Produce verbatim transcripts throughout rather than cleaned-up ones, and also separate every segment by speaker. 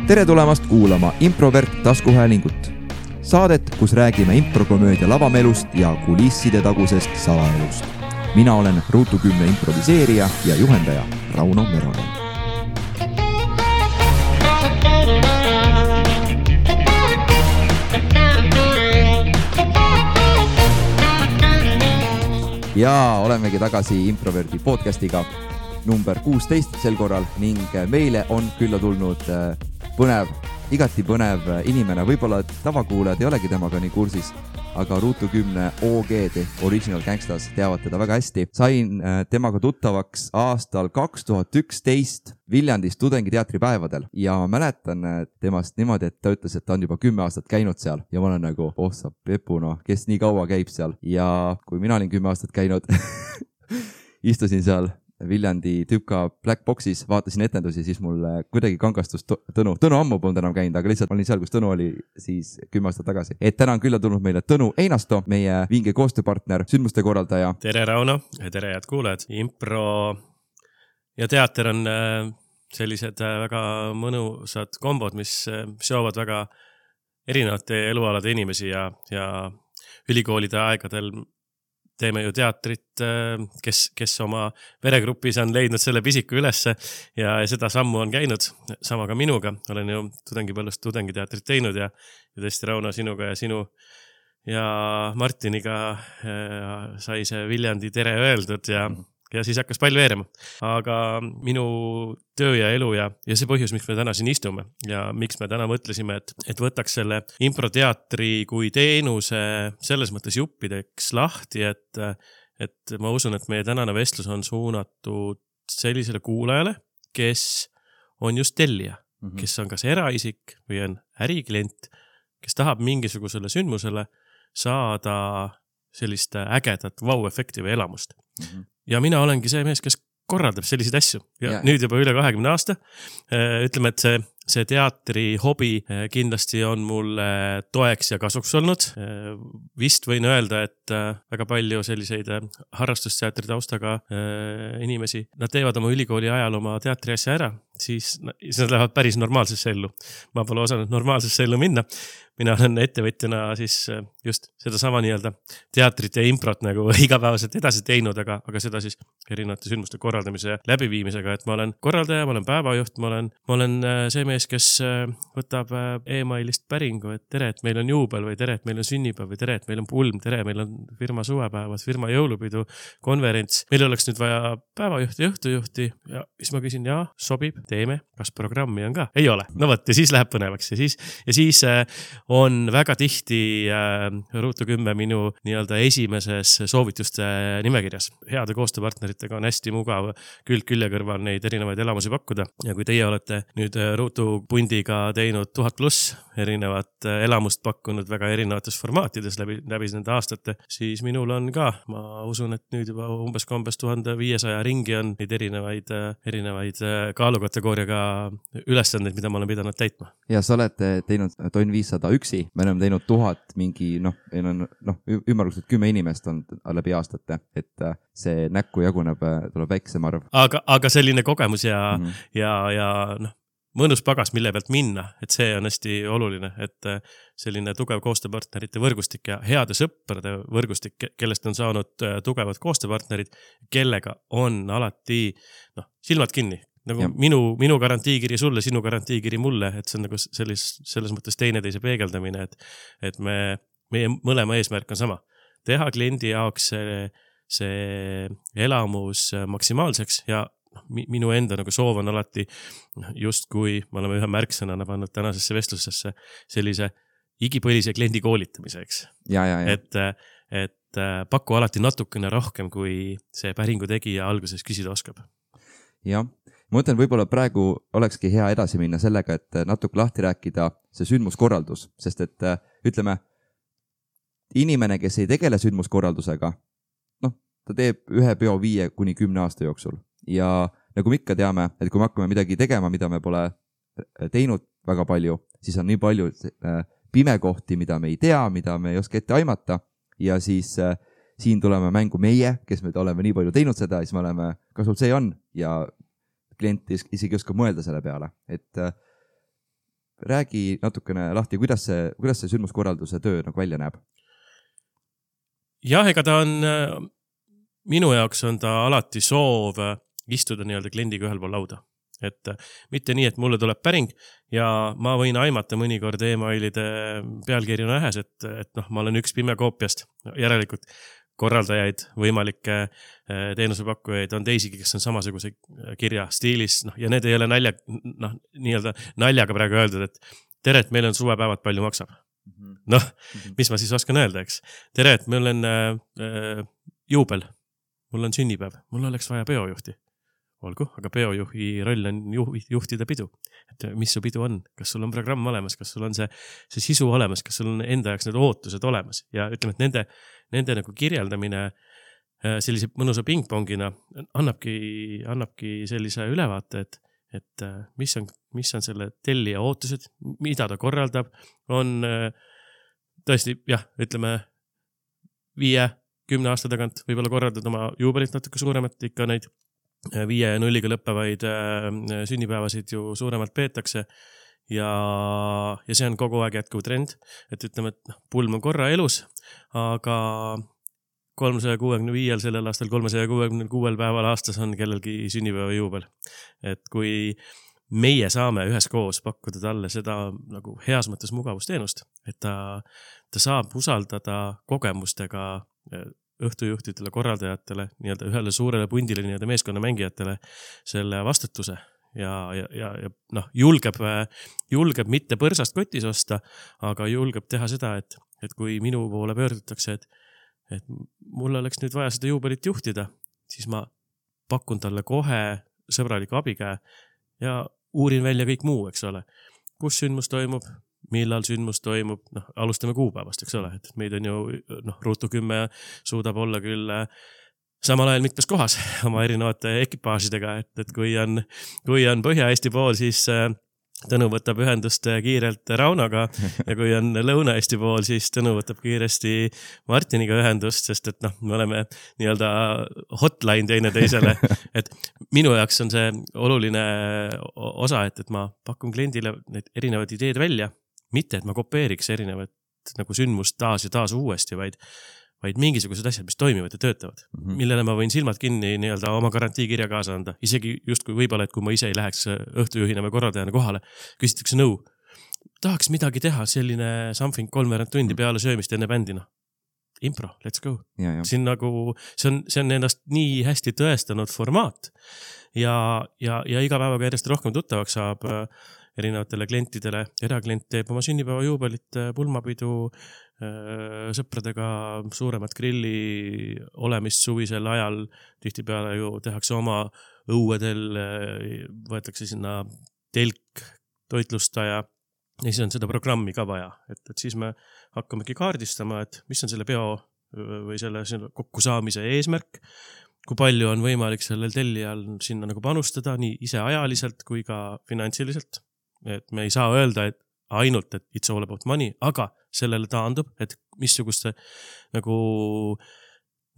Speaker 1: tere tulemast kuulama Improvert taskuhäälingut. Saadet, kus räägime improkomöödia lavamelust ja kulisside tagusest salaelust. Mina olen Ruutu kümne improviseerija ja juhendaja Rauno Meronen. Ja olemegi tagasi Improverti podcastiga number kuusteist sel korral ning meile on külla tulnud põnev, igati põnev inimene. Võib-olla tavakuulajad ei olegi temaga nii kursis, aga Ruutu kümne O G-d, Original Gangstas, teavad teda väga hästi. Sain temaga tuttavaks aastal kaks tuhat üksteist Viljandis tudengiteatripäevadel ja ma mäletan temast niimoodi, et ta ütles, et ta on juba kümme aastat käinud seal ja ma olen nagu, oh sa Pepuna, kes nii kaua käib seal. Ja kui mina olin kümme aastat käinud, istusin seal Viljandi Tüpka Black Boxis, vaatasin etendusi, siis mul kuidagi kangastus Tõnu. Tõnu ammu polnud enam käinud, aga lihtsalt olin seal, kus Tõnu oli siis kümme aastat tagasi. Et täna on külla tulnud meile Tõnu Einasto, meie vinge koostööpartner, sündmuste korraldaja.
Speaker 2: Tere Rauno, tere head kuulajad. Impro ja teater on sellised väga mõnusad kombod, mis seovad väga erinevate elualade inimesi ja, ja ülikoolide aegadel teeme ju teatrit, kes, kes oma veregrupis on leidnud selle pisiku ülesse ja seda sammu on käinud. Sama ka minuga. Olen ju tudengipõllust tudengiteatrit teinud ja, ja tõesti Rauno sinuga ja sinu ja Martiniga sai see Viljandi tere öeldud ja ja siis hakkas pall veerema. Aga minu töö ja elu ja, ja see põhjus, miks me täna siin istume ja miks me täna mõtlesime, et, et võtaks selle improteatri kui teenuse selles mõttes juppideks lahti, et, et ma usun, et meie tänane vestlus on suunatud sellisele kuulajale, kes on just tellija, mm-hmm. kes on kas eraisik või on äriklient, kes tahab mingisugusele sündmusele saada sellist ägedat vau-efekti või elamust. Mm-hmm. Ja mina olengi see mees, kes korraldab selliseid asju. Ja, ja nüüd juba üle kahekümne aasta. Ütleme, et see, see teatri hobi kindlasti on mul toeks ja kasuks olnud. Vist võin öelda, et väga palju selliseid harrastusteatri taustaga inimesi, nad teevad oma ülikooli ajal oma teatri asja ära, siis, siis nad lähevad päris normaalsesse ellu. Ma pole osanud normaalsesse ellu minna. Mina olen ettevõtjana siis just seda sama nii-öelda teatrit ja improt nagu igapäevaselt edasi teinud, aga, aga seda siis erinevate sündmuste korraldamise ja läbiviimisega, et ma olen korraldaja, ma olen päevajuht, ma olen, ma olen see mees, kes võtab e-mailist päringu, et tere, et meil on juubel või tere, et meil on sünnipäev või tere, et meil on pulm, tere, meil on firma suvepäevad, firma jõulupidu, konverents. Meil oleks nüüd vaja päevajuhti ja õhtujuhti ja siis ma küsin, jaa, sobib, teeme, kas programmi on ka? Ei ole. No võt, ja siis läheb põnevaks ja siis, ja siis on väga tihti äh, Ruutu kümme minu nii-öelda esimeses soovituste nimekirjas. Heade koostööpartneritega on hästi mugav külg külje kõrval neid erinevaid elamusi pakkuda. Ja kui teie olete nüüd Ruutu pundiga teinud tuhat pluss erinevat elamust pakkunud väga erinevates formaatides läbi, läbi nende aastate, siis minul on ka, ma usun, et nüüd juba umbes kombes tuhande viiesaja ringi on neid erinevaid, erinevaid kaalukategooriaga ülesandeid, mida ma olen pidanud täitma.
Speaker 1: Ja sa oled teinud tonn viissada üksi, me oleme teinud tuhat mingi, noh, noh, ümmarguselt kümme inimest on läbi aastate, et see näkku jaguneb, tuleb väiksem arv.
Speaker 2: Aga, aga selline kogemus ja, mm-hmm. ja, ja noh, mõnus pagas, mille pealt minna, et see on hästi oluline, et selline tugev koostööpartnerite võrgustik ja heade sõprade võrgustik, kellest on saanud tugevad koostööpartnerid, kellega on alati noh, silmad kinni. Nagu ja. minu, minu garantiikiri sulle, sinu garantiikiri mulle, et see on nagu sellis, selles mõttes teineteise peegeldamine, et, et me, meie mõlema eesmärk on sama. Teha kliendi jaoks see, see elamus maksimaalseks ja minu enda nagu soov on alati just kui me oleme ühe märksõnana pannud tänasesse vestlusesse sellise igipõlise kliendi koolitamiseks.
Speaker 1: Ja, ja, ja.
Speaker 2: Et, et paku alati natukene rohkem, kui see päringu tegija alguses küsida oskab.
Speaker 1: Jah. Ma mõtlen, võib-olla praegu olekski hea edasi minna sellega, et natuke lahti rääkida see sündmuskorraldus, sest et ütleme, inimene, kes ei tegele sündmuskorraldusega, noh, ta teeb ühe peo viie kuni kümne aasta jooksul ja nagu me ikka teame, et kui me hakkame midagi tegema, mida me pole teinud väga palju, siis on nii palju pimekohti, mida me ei tea, mida me ei oska ette aimata ja siis siin tuleme mängu meie, kes me oleme nii palju teinud seda, siis me oleme, kas sul see on ja klient isegi oskab mõelda selle peale, et räägi natukene lahti, kuidas see, kuidas see sündmuskorralduse töö nagu välja näeb?
Speaker 2: Jah, ega ta on, minu jaoks on ta alati soov istuda nii-öelda kliendiga ühel pool lauda. Et mitte nii, et mulle tuleb päring ja ma võin aimata mõnikord e-mailide pealkirju nähes, et, et noh, ma olen üks pime koopiast. Järelikult korraldajaid, võimalikke teenusepakkujaid on teisigi, kes on samasuguse kirja stiilis, noh, ja need ei ole nalja, noh, nii-öelda naljaga praegu öeldud, et tere, et meil on suvepäevad palju maksab. Noh, mis ma siis oskan öelda, eks? Tere, et meil on äh, juubel, mul on sünnipäev, mul oleks vaja peojuhti. Olgu, aga peojuhi roll on juhtida pidu. Et mis su pidu on? Kas sul on programm olemas? Kas sul on see, see sisu olemas? Kas sul on enda jaoks need ootused olemas? Ja ütleme, et nende, nende nagu kirjeldamine sellise mõnusa pingpongina annabki, annabki sellise ülevaate, et, et mis on, mis on selle tellija ootused, mida ta korraldab, on tõesti, jah, ütleme viie, kümne aasta tagant võib-olla korraldada oma juubelit natuke suuremat, ikka neid viie ja nulliga lõppevaid sünnipäevasid ju suuremalt peetakse ja, ja see on kogu aeg jätkuv trend, et ütleme, et pulm on korra elus, aga kolmesaja kuuekümne viiel sellel aastal kolmesaja kuuekümne kuuel päeval aastas on kellelgi sünnipäeva juubel. Et kui meie saame üheskoos pakkuda talle seda nagu heas mõttes mugavusteenust, et ta, ta saab usaldada kogemustega õhtujuhtidele, korraldajatele, nii-öelda ühele suurele pundile, nii-öelda meeskonna mängijatele selle vastutuse ja, ja, ja, ja noh, julgeb, julgeb mitte põrsast kotis osta, aga julgeb teha seda, et, et kui minu poole pöördutakse, et, et mul oleks nüüd vaja seda juubelit juhtida, siis ma pakun talle kohe sõbraliku abikäe ja uurin välja kõik muu, eks ole. Kus sündmus toimub? Millal sündmus toimub, noh, alustame kuupäevast, eks ole, et meid on ju, noh, Ruutu kümme suudab olla küll samal ajal mitmes kohas oma erinevate ekipaažidega, et, et kui on, kui on Põhja-Eesti pool, siis Tõnu võtab ühendust kiirelt Raunaga ja kui on Lõuna-Eesti pool, siis Tõnu võtab kiiresti Martiniga ühendust, sest et noh, me oleme nii-öelda hotline teine teisele, et minu jaoks on see oluline osa, et, et ma pakun kliendile need erinevad ideed välja, mitte et ma kopeeriks erinevat nagu sündmust taas ja taas uuesti, vaid, vaid mingisugused asjad, mis toimivad ja töötavad, mm-hmm. millele ma võin silmad kinni nii-öelda oma garantiikirja kaasa anda. Isegi just kui võib-olla, et kui ma ise ei läheks õhtujuhina või korraldajana kohale, küsitakse nõu. Tahaks midagi teha, selline something kolmveerand tundi peale söömist enne bändina. Impro, let's go. Ja, ja. Siin nagu, see on, see on ennast nii hästi tõestanud formaat ja, ja, ja iga päevaga järjest rohkem tuttavaks saab erinevatele klientidele. Eraklient teeb oma sünnipäeva juubelit, pulmapidu, sõpradega suuremat grilli olemist suvisel ajal. Tihtipeale ju tehakse oma õuedel, võetakse sinna telk, toitlustaja ja siis on seda programmi ka vaja. Et, et siis me hakkamegi kaardistama, et mis on selle peo või selle kokkusaamise eesmärk, kui palju on võimalik sellel tellijal sinna nagu panustada nii ise ajaliselt kui ka finantsiliselt. Et me ei saa öelda, et ainult, et it's all about money, aga sellele taandub, et missuguste nagu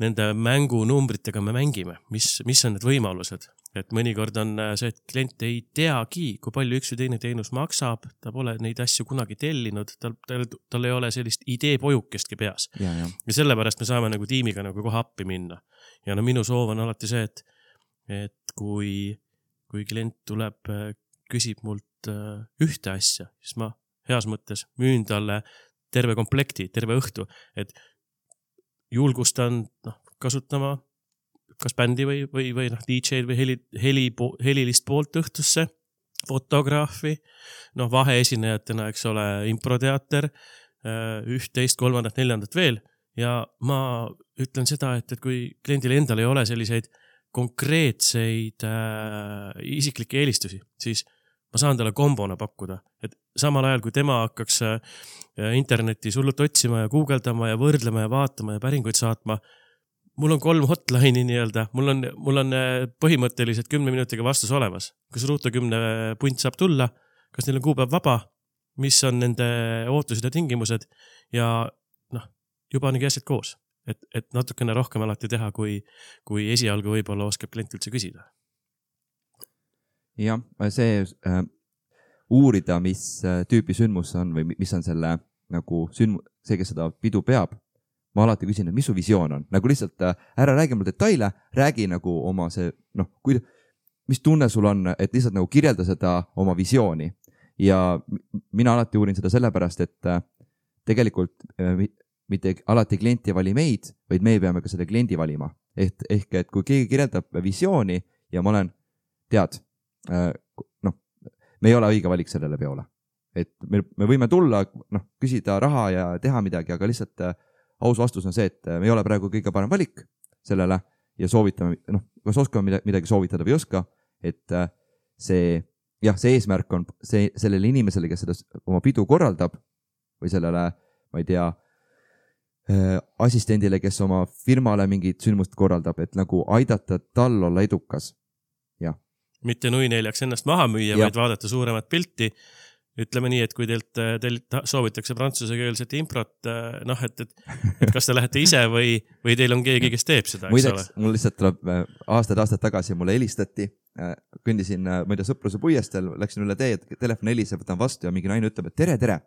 Speaker 2: nende mängunumbritega me mängime, mis, mis on need võimalused. Et mõnikord on see, et klient ei teagi, kui palju üks või teine teenus maksab, ta pole neid asju kunagi tellinud, tal, tal, tal ei ole sellist idee pojukestki peas. Ja, ja. ja sellepärast me saame nagu tiimiga nagu kohe appi minna. Ja no minu soov on alati see, et, et kui, kui klient tuleb, küsib mult ühte asja, siis ma heas mõttes müün talle terve komplekti, terve õhtu, et julgustan noh, kasutama kas bändi või, või, või noh, D J-d või heli, heli, helilist poolt õhtusse, fotograafi, noh, vaheesinejatena, eks ole, improteater, üht-teist, kolmandat, neljandat veel ja ma ütlen seda, et, et kui kliendil endal ei ole selliseid konkreetseid äh, isiklikke eelistusi, siis ma saan talle kombona pakkuda, et samal ajal, kui tema hakkaks internetis hullult otsima ja guugeldama ja võrdlema ja vaatama ja päringuid saatma, mul on kolm hotline'i nii-öelda, mul on, mul on põhimõtteliselt kümne minutiga vastus olemas. Kas Ruutu kümne punt saab tulla, kas neil on kuupäev vaba, mis on nende ootused ja tingimused ja noh, juba on asjad koos, et, et natukene rohkem alati teha, kui, kui esialgu võib-olla oskab klient üldse küsida.
Speaker 1: Jah, see äh, uurida, mis tüüpi sündmus on või mis on selle nagu sündmus, see, kes seda pidu peab. Ma alati küsin, et mis su visioon on, nagu lihtsalt ära räägi mul detaile, räägi nagu oma see, noh, kui, mis tunne sul on, et lihtsalt nagu kirjelda seda oma visiooni. Ja mina alati uurin seda sellepärast, et tegelikult mitte alati klienti vali meid, vaid me peame ka selle kliendi valima. Ehk, ehk et kui keegi kirjeldab visiooni ja ma olen, tead, noh, me ei ole õige valik sellele peole. Et me, me võime tulla, noh, küsida raha ja teha midagi, aga lihtsalt aus vastus on see, et me ei ole praegu kõige parem valik sellele ja soovitame, noh, kas oskame midagi soovitada või oska, et see, jah, see eesmärk on see, sellele inimesele, kes seda oma pidu korraldab või sellele, ma ei tea, assistendile, kes oma firmale mingit sündmust korraldab, et nagu aidata tal olla edukas. Ja.
Speaker 2: Mitte nui neljaks ennast maha müüa, ja. Vaid vaadata suuremat pilti. Ütleme nii, et kui teilt, teilt soovitakse prantsuse-keelset improt, noh, et, et, et kas te lähete ise või, või teil on keegi, kes teeb seda, eks
Speaker 1: Muideks, ole? Mul lihtsalt tuleb aastad-aastad tagasi mulle helistati, kõndisin, ma ei tea, sõpruse puiestel, läksin üle tee, et telefon heliseb, võtan vastu ja mingi naine ütleb, et tere, tere,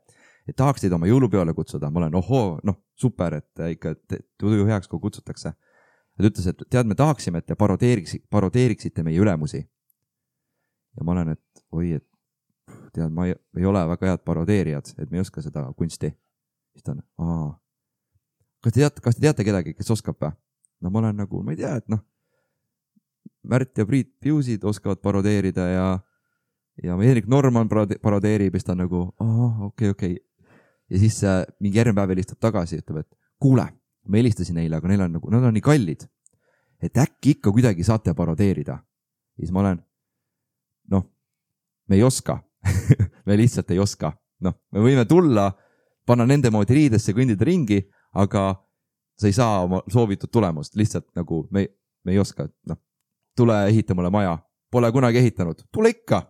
Speaker 1: et tahaks teid oma jõulupeole kutsuda. Ma olen, ohoo, noh, super, et ikka tuju heaks, kui kutsutakse. Ta ütles, et tead, me tahaksime, et te parodeeriksite, parodeeriksite meie ülemusi. Ja ma olen, et oi, et tead, ma ei, ei ole väga head parodeerijad, et me ei oska seda kunsti. Siis ta on, aa, kas te teate, kas te teate kedagi, kes oskab või? No ma olen nagu, ma ei tea, et noh, Märt ja Priit Piusid oskavad parodeerida ja, ja Erik Norman parodeerib, siis ta on nagu, aa, okei, okei. Ja siis äh, mingi järgmine päev helistab tagasi, ütleb, et kuule, ma helistasin neile, aga neil on nagu, nad on nii kallid, et äkki ikka kuidagi saate parodeerida. Ja siis ma olen, noh, me ei oska. me lihtsalt ei oska. Noh, me võime tulla, panna nende moodi riidesse, kõndida ringi, aga sa ei saa oma soovitud tulemust. Lihtsalt nagu me, me ei oska. Noh, tule ehita mulle maja. Pole kunagi ehitanud. Tule ikka.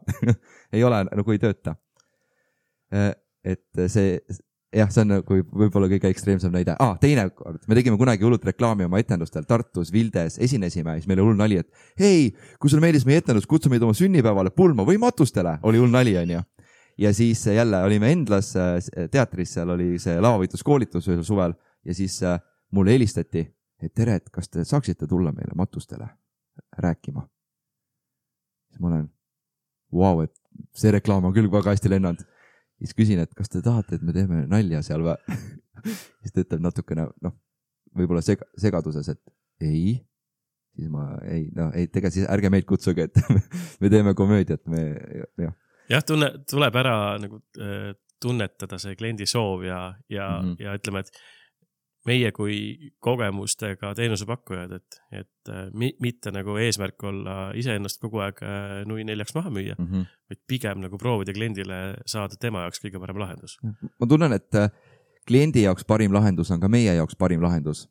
Speaker 1: ei ole, nagu ei tööta. Et see, jah, see on nagu võib-olla kõige ekstreemsem näide. Ah, teine kord. Me tegime kunagi hullult reklaami oma etendustel Tartus, Vildes, esinesime. Siis meil oli hull nali, et hei, kui sul meeldis meie etendus, kutsu meid oma sünnipäevale pulma või matustele. Oli hull nali, on ju. Ja siis jälle olime Endlas teatris, seal oli see lavavõitluskoolitus ühel suvel ja siis mulle helistati, et tere, et kas te saaksite tulla meile matustele rääkima. Siis ma olen, vau, et see reklaam on küll väga hästi lennanud. Siis küsin, et kas te tahate, et me teeme nalja seal või? Siis ta ütleb natukene, noh, võib-olla seg- segaduses, et ei. Siis ma, ei, no, ei, tega siis ärge meid kutsuge, et me teeme komöödiat, me, jah.
Speaker 2: Jah, tunne, tuleb ära nagu, tunnetada see kliendi soov ja, ja, mm-hmm. ja ütleme, et meie kui kogemustega teenusepakkujad, et, et mitte nagu eesmärk olla iseennast kogu aeg nui neljaks maha müüa, mm-hmm. vaid pigem nagu proovida kliendile saada tema jaoks kõige parem lahendus.
Speaker 1: Ma tunnen, et kliendi jaoks parim lahendus on ka meie jaoks parim lahendus.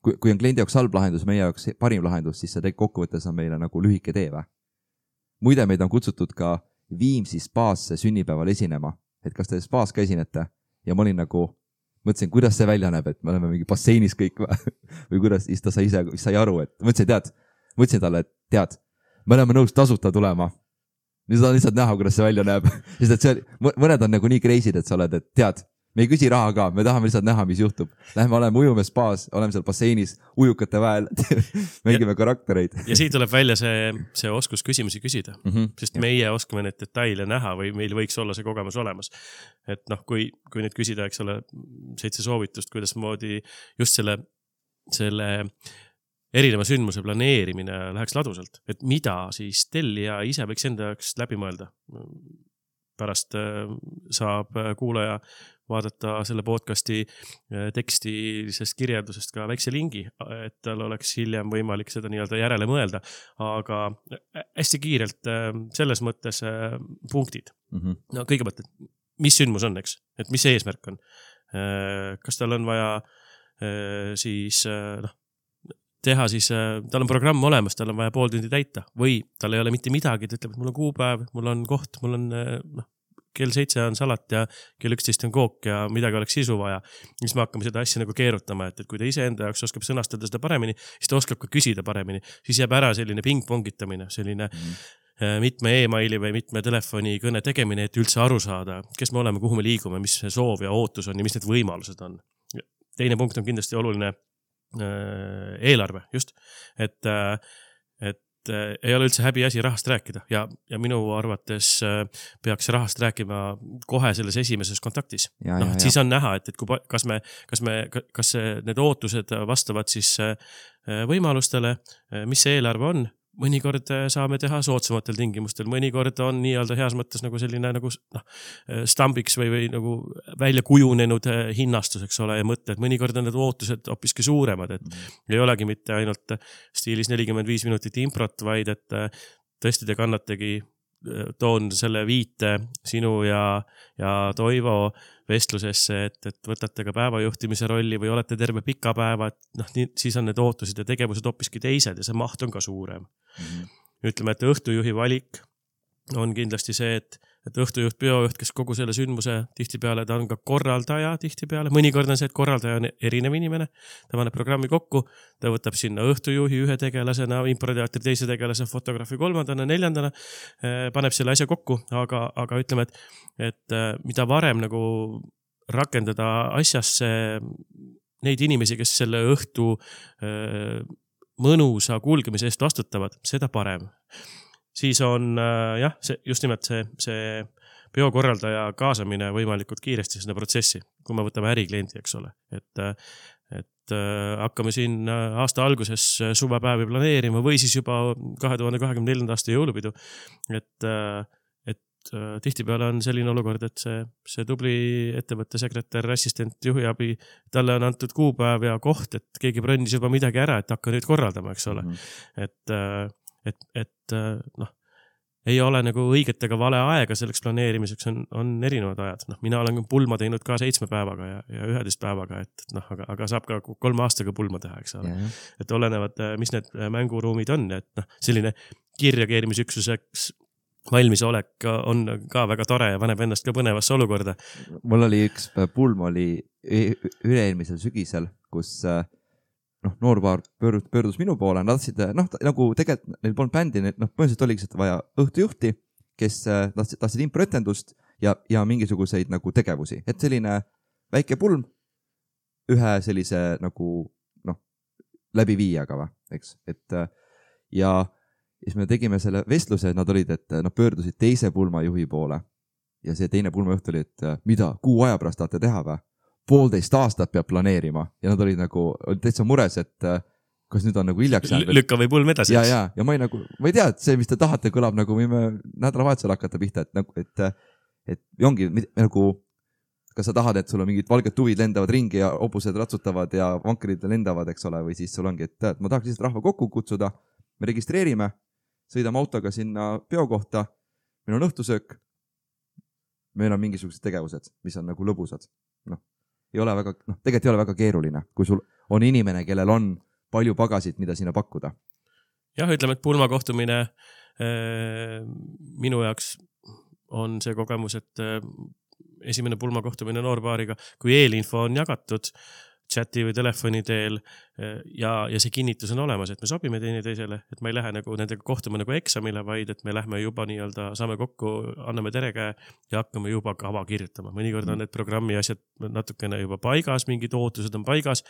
Speaker 1: Kui, kui on kliendi jaoks halb lahendus, meie jaoks parim lahendus, siis see kokkuvõttes on meile nagu lühike tee või? Muide, meid on kutsutud ka Viimsi spaasse sünnipäeval esinema, et kas te spaas ka esinete ja ma olin nagu, mõtlesin, kuidas see välja näeb, et me oleme mingi basseinis kõik või kuidas, siis ta sai ise, sai aru, et mõtlesin, tead, mõtlesin talle, et tead, me oleme nõus tasuta tulema. Nüüd on lihtsalt näha, kuidas see välja näeb, sest et see, mõned on nagu nii kreisid, et sa oled, et tead, me ei küsi raha ka, me tahame lihtsalt näha, mis juhtub. Lähme oleme ujume spaas, oleme seal basseinis, ujukate väel, mängime karaktereid.
Speaker 2: Ja siit tuleb välja see, see oskus küsimusi küsida, mm-hmm. sest meie oskame need detaile näha või meil võiks olla see kogemus olemas. Et noh, kui, kui nüüd küsida, eks ole, seitse soovitust, kuidas moodi just selle, selle erineva sündmuse planeerimine läheks ladusalt, et mida siis tellija ise võiks enda jaoks läbi mõelda. Pärast saab kuulaja vaadata selle podcasti tekstilisest kirjeldusest ka väikse lingi, et tal oleks hiljem võimalik seda nii-öelda järele mõelda, aga hästi kiirelt selles mõttes punktid. Mm-hmm. No kõigepealt, mis sündmus on, eks? Et mis see eesmärk on? Kas tal on vaja siis, noh, teha siis, tal on programm olemas, tal on vaja pool tundi täita või tal ei ole mitte midagi, ta ütleb, et mul on kuupäev, mul on koht, mul on, noh, kell seitse on salat ja kell üksteist on kook ja midagi oleks sisu vaja. Siis me hakkame seda asja nagu keerutama, et, et kui ta ise enda jaoks oskab sõnastada seda paremini, siis ta oskab ka küsida paremini. Siis jääb ära selline ping-pongitamine, selline mm. mitme e-maili või mitme telefoni kõne tegemine, et üldse aru saada, kes me oleme, kuhu me liigume, mis see soov ja ootus on ja mis need võimalused on. Teine punkt on kindlasti oluline eelarve, just, et, et ei ole üldse häbi asi rahast rääkida ja, ja minu arvates peaks rahast rääkima kohe selles esimeses kontaktis.
Speaker 1: Ja,
Speaker 2: no,
Speaker 1: ja,
Speaker 2: siis on näha, et, et kui, kas me, kas me, kas need ootused vastavad siis võimalustele, mis see eelarve on. Mõnikord saame teha soodsamatel tingimustel, mõnikord on nii-öelda heas mõttes nagu selline nagu noh, stambiks või, või nagu välja kujunenud hinnastus, eks ole, ja mõtted. Mõnikord on need ootused hoopiski suuremad, et mm. ei olegi mitte ainult stiilis nelikümmend viis minutit improt, vaid et tõesti te kannategi, toon selle viite sinu ja, ja Toivo vestlusesse, et, et võtate ka päevajuhtimise rolli või olete terve pika päeva, et noh, nii, siis on need ootused ja tegevused hoopiski teised ja see maht on ka suurem. Mm-hmm. Ütleme, et õhtujuhi valik on kindlasti see, et, et õhtujuht, biojuht, kes kogu selle sündmuse tihtipeale, ta on ka korraldaja tihtipeale. Mõnikord on see, et korraldaja on erinev inimene. Ta paneb programmi kokku, ta võtab sinna õhtujuhi ühe tegelasena, improteatri teise tegelase, fotograafi kolmandana, neljandana, paneb selle asja kokku, aga, aga ütleme, et, et mida varem nagu rakendada asjasse neid inimesi, kes selle õhtu mõnusa kulgemise eest vastutavad, seda parem. Siis on jah, see, just nimelt see, see biokorraldaja kaasamine võimalikult kiiresti sinna protsessi, kui me võtame ärikliendi, eks ole. Et, et hakkame siin aasta alguses suvepäevi planeerima või siis juba kahe tuhande kahekümne neljanda aasta jõulupidu. Et, et tihtipeale on selline olukord, et see, see tubli ettevõtte sekretär, assistent, juhiabi, talle on antud kuupäev ja koht, et keegi brandis juba midagi ära, et hakka nüüd korraldama, eks ole. Mm-hmm. Et et, et noh, ei ole nagu õiget ega vale aega selleks planeerimiseks, on, on erinevad ajad. Noh, mina olen pulma teinud ka seitsme päevaga ja, ja üheteist päevaga, et noh, aga, aga saab ka kolme aastaga pulma teha, eks ole. Yeah. Et olenevad, mis need mänguruumid on, et noh, selline kiirreageerimisüksuseks valmisolek on ka väga tore ja paneb ennast ka põnevasse olukorda.
Speaker 1: Mul oli üks pulm oli üle-eelmisel sügisel, kus noh, noorpaar pöördus, pöördus minu poole, nad tahtsid, noh, nagu tegelikult neil polnud bändi, noh, põhimõtteliselt oligi seda vaja õhtujuhti, kes tahtsid, tahtsid improetendust ja, ja mingisuguseid nagu tegevusi. Et selline väike pulm ühe sellise nagu, noh, läbi viiaga, va, eks. Et ja siis me tegime selle vestluse, nad olid, et nad pöördusid teise pulmajuhi poole ja see teine pulmajuht oli, et mida, kuu aja pärast tahate teha, va? Poolteist aastat peab planeerima ja nad olid nagu olid täitsa mures, et kas nüüd on nagu hiljaks jäänud.
Speaker 2: Lükka või pulm edasi.
Speaker 1: Ja, ja, ja ma ei nagu, ma ei tea, et see, mis te tahate, kõlab nagu võime nädalavahetusel hakata pihta, et nagu, et, et ongi nagu, kas sa tahad, et sul on mingid valged tuvid lendavad ringi ja hobused ratsutavad ja vankerid lendavad, eks ole, või siis sul ongi, et, et ma tahaks lihtsalt rahva kokku kutsuda, me registreerime, sõidame autoga sinna peo kohta, meil on õhtusöök, meil on mingisugused tegevused, mis on nagu lõbusad, noh. Ei ole väga, noh, tegelikult ei ole väga keeruline, kui sul on inimene, kellel on palju pagasid, mida sinna pakkuda.
Speaker 2: Jah, ütleme, et pulma kohtumine äh, minu jaoks on see kogemus, et äh, esimene pulma kohtumine noorpaariga, kui eelinfo on jagatud chati või telefoni teel ja, ja see kinnitus on olemas, et me sobime teine teisele, et ma ei lähe nagu nendega kohtuma nagu eksamile, vaid et me lähme juba nii-öelda, saame kokku, anname terekäe ja hakkame juba kava kirjutama. Mõnikord on need programmi asjad natukene juba paigas, mingid ootused on paigas,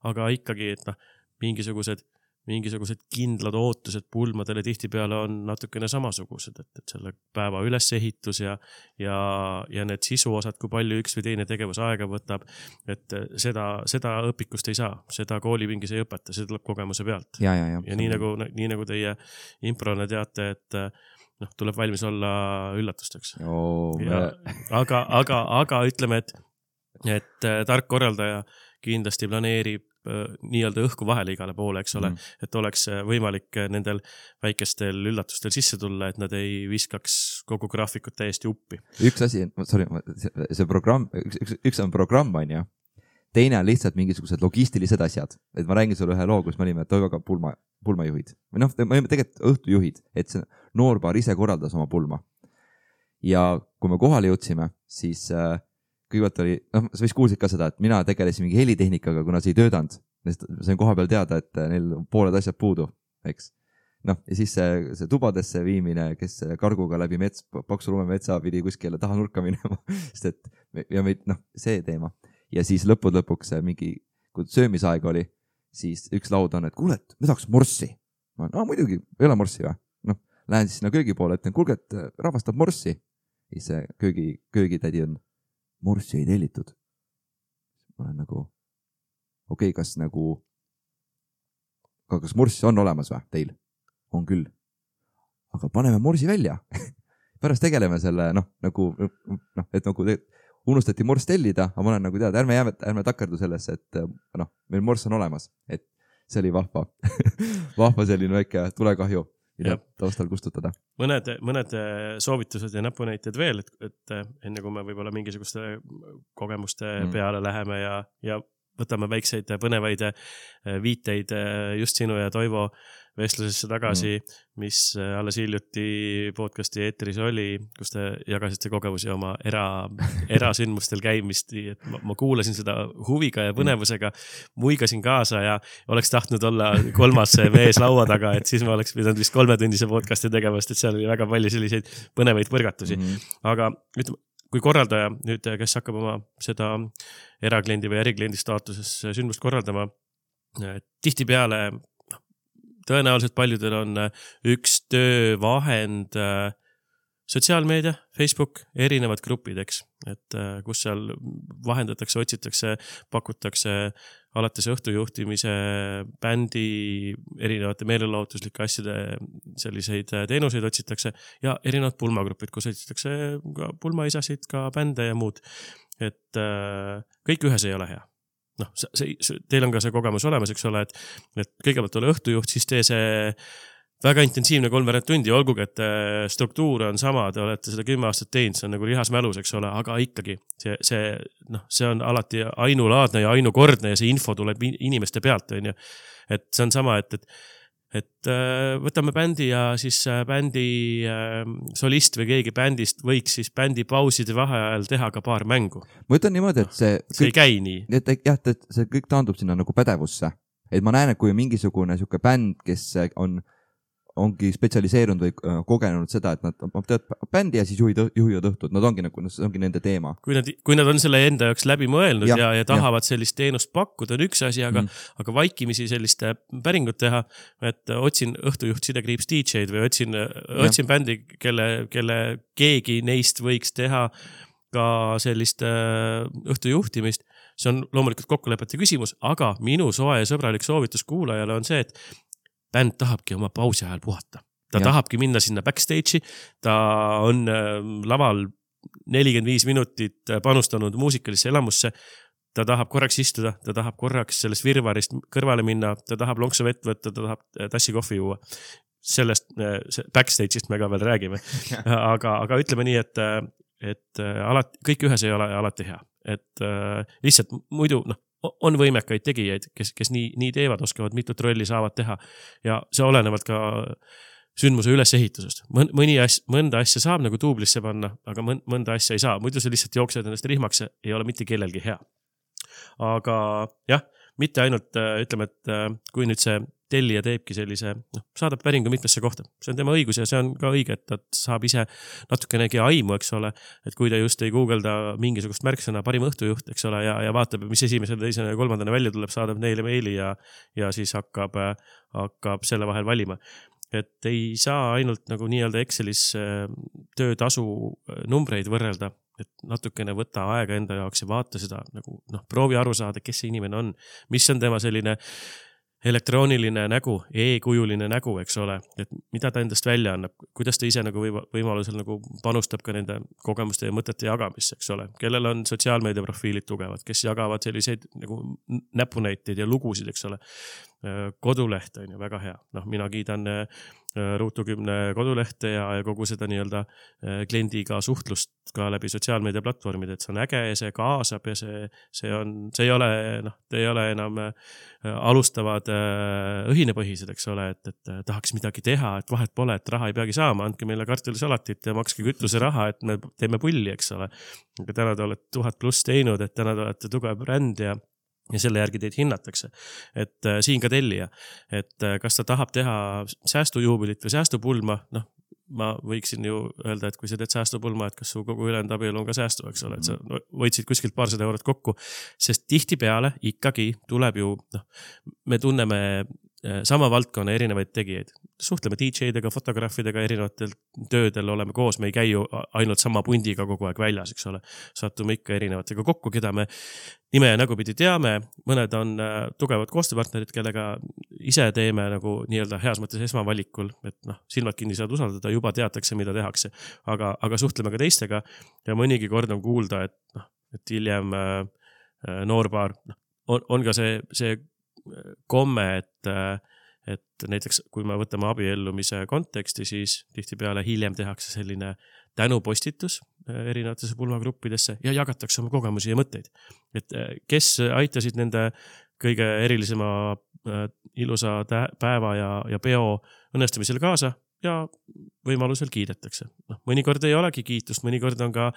Speaker 2: aga ikkagi, et noh, mingisugused mingisugused kindlad ootused pulmadele tihtipeale on natukene samasugused, et, et selle päeva ülesehitus ja, ja, ja need sisuosad, kui palju üks või teine tegevus aega võtab, et seda, seda õpikust ei saa, seda koolipingis ei õpeta, see tuleb kogemuse pealt.
Speaker 1: Ja, ja, ja.
Speaker 2: ja nii nagu, nii nagu teie improna teate, et noh, tuleb valmis olla üllatusteks.
Speaker 1: Oh,
Speaker 2: ja, aga, aga, aga ütleme, et, et tark korraldaja kindlasti planeerib nii-öelda õhku vahele igale poole, eks ole, mm. et oleks võimalik nendel väikestel üllatustel sisse tulla, et nad ei viskaks kogu graafikut täiesti uppi.
Speaker 1: Üks asi, sorry, see programm, üks, üks, üks on programm, on ju. Teine on lihtsalt mingisugused logistilised asjad. Et ma räägin sulle ühe loo, kus me olime Toivoga pulma, pulmajuhid. Või noh, me olime tegelikult õhtujuhid, et see noorpaar ise korraldas oma pulma. Ja kui me kohale jõudsime, siis äh, kõigepealt oli, noh, sa vist kuulsid ka seda, et mina tegelesin mingi helitehnikaga, kuna see ei töötanud. Sain koha peal teada, et neil pooled asjad puudu, eks. noh, ja siis see, see tubadesse viimine, kes karguga läbi mets, paksu lumemetsa pidi kuskile taha nurka minema, sest et ja meid, noh, see teema. Ja siis lõpud lõpuks mingi, kui söömisaeg oli, siis üks laud on, et kuule, et me tahaks morssi. Ma no muidugi, ei ole morssi või? Noh, lähen siis sinna köögi poole, et kuulge, et rahvastab morssi. Siis see köögi, köögitädi on, morssi ei tellitud. Ma olen nagu, okei, okay, kas nagu, kas morssi on olemas või teil? On küll. Aga paneme morsi välja. Pärast tegeleme selle, noh, nagu, noh, et nagu unustati morss tellida, aga ma olen nagu teada, ärme, jääme, ärme takerdu sellesse, et noh, meil morss on olemas, et see oli vahva. Vahva selline väike tulekahju, mida taustal kustutada.
Speaker 2: Mõned, mõned soovitused ja näpunäited veel, et, et enne kui me võib-olla mingisuguste kogemuste mm. peale läheme ja, ja võtame väikseid põnevaid viiteid just sinu ja Toivo vestlusesse tagasi, mm. mis alles hiljuti podcasti eetris oli, kus te jagasite kogemusi oma era, erasündmustel käimist. Et ma, ma kuulasin seda huviga ja põnevusega, muigasin kaasa ja oleks tahtnud olla kolmas mees laua taga, et siis ma oleks pidanud vist kolmetunnise podcasti tegevast, et seal oli väga palju selliseid põnevaid põrgatusi. Mm. Aga ütleme, kui korraldaja nüüd, kes hakkab oma seda erakliendi või ärikliendi staatuses sündmust korraldama, tihti peale tõenäoliselt paljudel on üks töövahend sotsiaalmeedia, Facebook, erinevad grupid, eks, et kus seal vahendatakse, otsitakse, pakutakse alates õhtujuhtimise, bändi, erinevate meelelahutuslike asjade selliseid teenuseid otsitakse ja erinevad pulmagrupid, kus otsitakse ka pulmaisasid, ka bände ja muud. Et kõik ühes ei ole hea. Noh, see, see, teil on ka see kogemus olemas, eks ole, et, et kõigepealt ole õhtujuht, siis tee see väga intensiivne kolmveerand tundi, olgugi, et struktuur on sama, te olete seda kümme aastat teinud, see on nagu lihasmälus, eks ole, aga ikkagi see, see, noh, see on alati ainulaadne ja ainukordne ja see info tuleb inimeste pealt, on ju. Et see on sama, et, et et võtame bändi ja siis bändi solist või keegi bändist võiks siis bändi pauside vaheajal teha ka paar mängu.
Speaker 1: Ma ütlen niimoodi, et see...
Speaker 2: See kõik, ei käi nii.
Speaker 1: Et, jah, et see kõik taandub sinna nagu pädevusse. Et ma näen, et kui on mingisugune siuke bänd, kes on, ongi spetsialiseerunud või kogenud seda, et nad teevad bändi ja siis juhid, juhivad õhtud. Nad ongi nagu, see ongi nende teema.
Speaker 2: Kui nad, kui nad on selle enda jaoks läbi mõelnud ja, ja, ja tahavad ja. Sellist teenust pakkuda, on üks asi, aga, mm. aga vaikimisi sellist päringut teha, et otsin õhtujuht sidekriips D J-d või otsin, otsin bändi, kelle, kelle keegi neist võiks teha ka sellist õhtujuhtimist. See on loomulikult kokkulepete küsimus, aga minu soe ja sõbralik soovitus kuulajale on see, et bänd tahabki oma pausi ajal puhata. Ta ja. Tahabki minna sinna backstage'i, ta on laval nelikümmend viis minutit panustanud muusikalisse elamusse, ta tahab korraks istuda, ta tahab korraks sellest virvarist kõrvale minna, ta tahab lonksu vett võtta, ta tahab tassi kohvi juua. Sellest backstage'ist me ka veel räägime. aga, aga ütleme nii, et, et alati, kõik ühes ei ole alati hea. Et lihtsalt muidu, noh, on võimekaid tegijaid, kes, kes nii, nii teevad, oskavad mitut rolli saavad teha ja see olenevalt ka sündmuse ülesehitusest. Mõni asja, mõnda asja saab nagu tuublisse panna, aga mõnda asja ei saa. Muidu see lihtsalt jooksed ennast rihmaks, ei ole mitte kellelgi hea. Aga jah, mitte ainult ütleme, et kui nüüd see tellija teebki sellise, noh, saadab päringu mitmesse kohta. See on tema õigus ja see on ka õige, et ta saab ise natukenegi aimu, eks ole, et kui ta just ei googelda mingisugust märksõna parim õhtujuht, eks ole, ja, ja vaatab, mis esimesel, teisene ja kolmandana välja tuleb, saadab neile meili ja, ja siis hakkab, hakkab selle vahel valima. Et ei saa ainult nagu nii-öelda Excelis töötasu numbreid võrrelda, et natukene võtta aega enda jaoks ja vaata seda, nagu, noh, proovi aru saada, kes see inimene on, mis on tema selline elektrooniline nägu, e-kujuline nägu, eks ole, et mida ta endast välja annab, kuidas ta ise nagu võimalusel nagu panustab ka nende kogemuste ja mõtete jagamisse, eks ole, kellel on sotsiaalmeedia profiilid tugevad, kes jagavad selliseid nagu näpunäiteid ja lugusid, eks ole. Koduleht on ju väga hea, noh, mina kiidan Ruutu kümne kodulehte ja, ja kogu seda nii-öelda kliendiga suhtlust ka läbi sotsiaalmeedia platvormid, et see on äge ja see kaasab ja see, see on, see ei ole, noh, te ei ole enam alustavad õhinepõhised, eks ole, et, et tahaks midagi teha, et vahet pole, et raha ei peagi saama, andke meile kartulisalatit ja makske kütuse raha, et me teeme pulli, eks ole. Aga täna te olete tuhat pluss teinud, et täna te olete tugev bränd ja ja selle järgi teid hinnatakse. Et äh, siin ka tellija, et äh, kas ta tahab teha säästujuubelit või säästupulma, noh, ma võiksin ju öelda, et kui sa teed säästupulma, et kas su kogu ülejäänud abielu on ka säästu, eks ole, et sa võitsid kuskilt paarsada eurot kokku, sest tihti peale ikkagi tuleb ju, noh, me tunneme sama valdkonna erinevaid tegijaid. Suhtleme D J-dega, fotograafidega, erinevatel töödel oleme koos, me ei käi ju ainult sama pundiga kogu aeg väljas, eks ole. Sattume ikka erinevatega kokku, keda me nime ja nägupidi teame. Mõned on tugevad koostööpartnerid, kellega ise teeme nagu nii-öelda heas mõttes esmavalikul, et noh, silmad kinni saad usaldada, juba teatakse, mida tehakse. Aga, aga suhtleme ka teistega ja mõnigi kord on kuulda, et, noh, et hiljem äh, noorpaar noh, on, on ka see, see komme, et, et näiteks kui me võtame abiellumise konteksti, siis tihtipeale hiljem tehakse selline tänupostitus erinevatesse pulmagruppidesse ja jagatakse oma kogemusi ja mõtteid. Et kes aitasid nende kõige erilisema ilusa päeva ja, ja peo õnnestumisel kaasa ja võimalusel kiidetakse. No, mõnikord ei olegi kiitust, mõnikord on ka,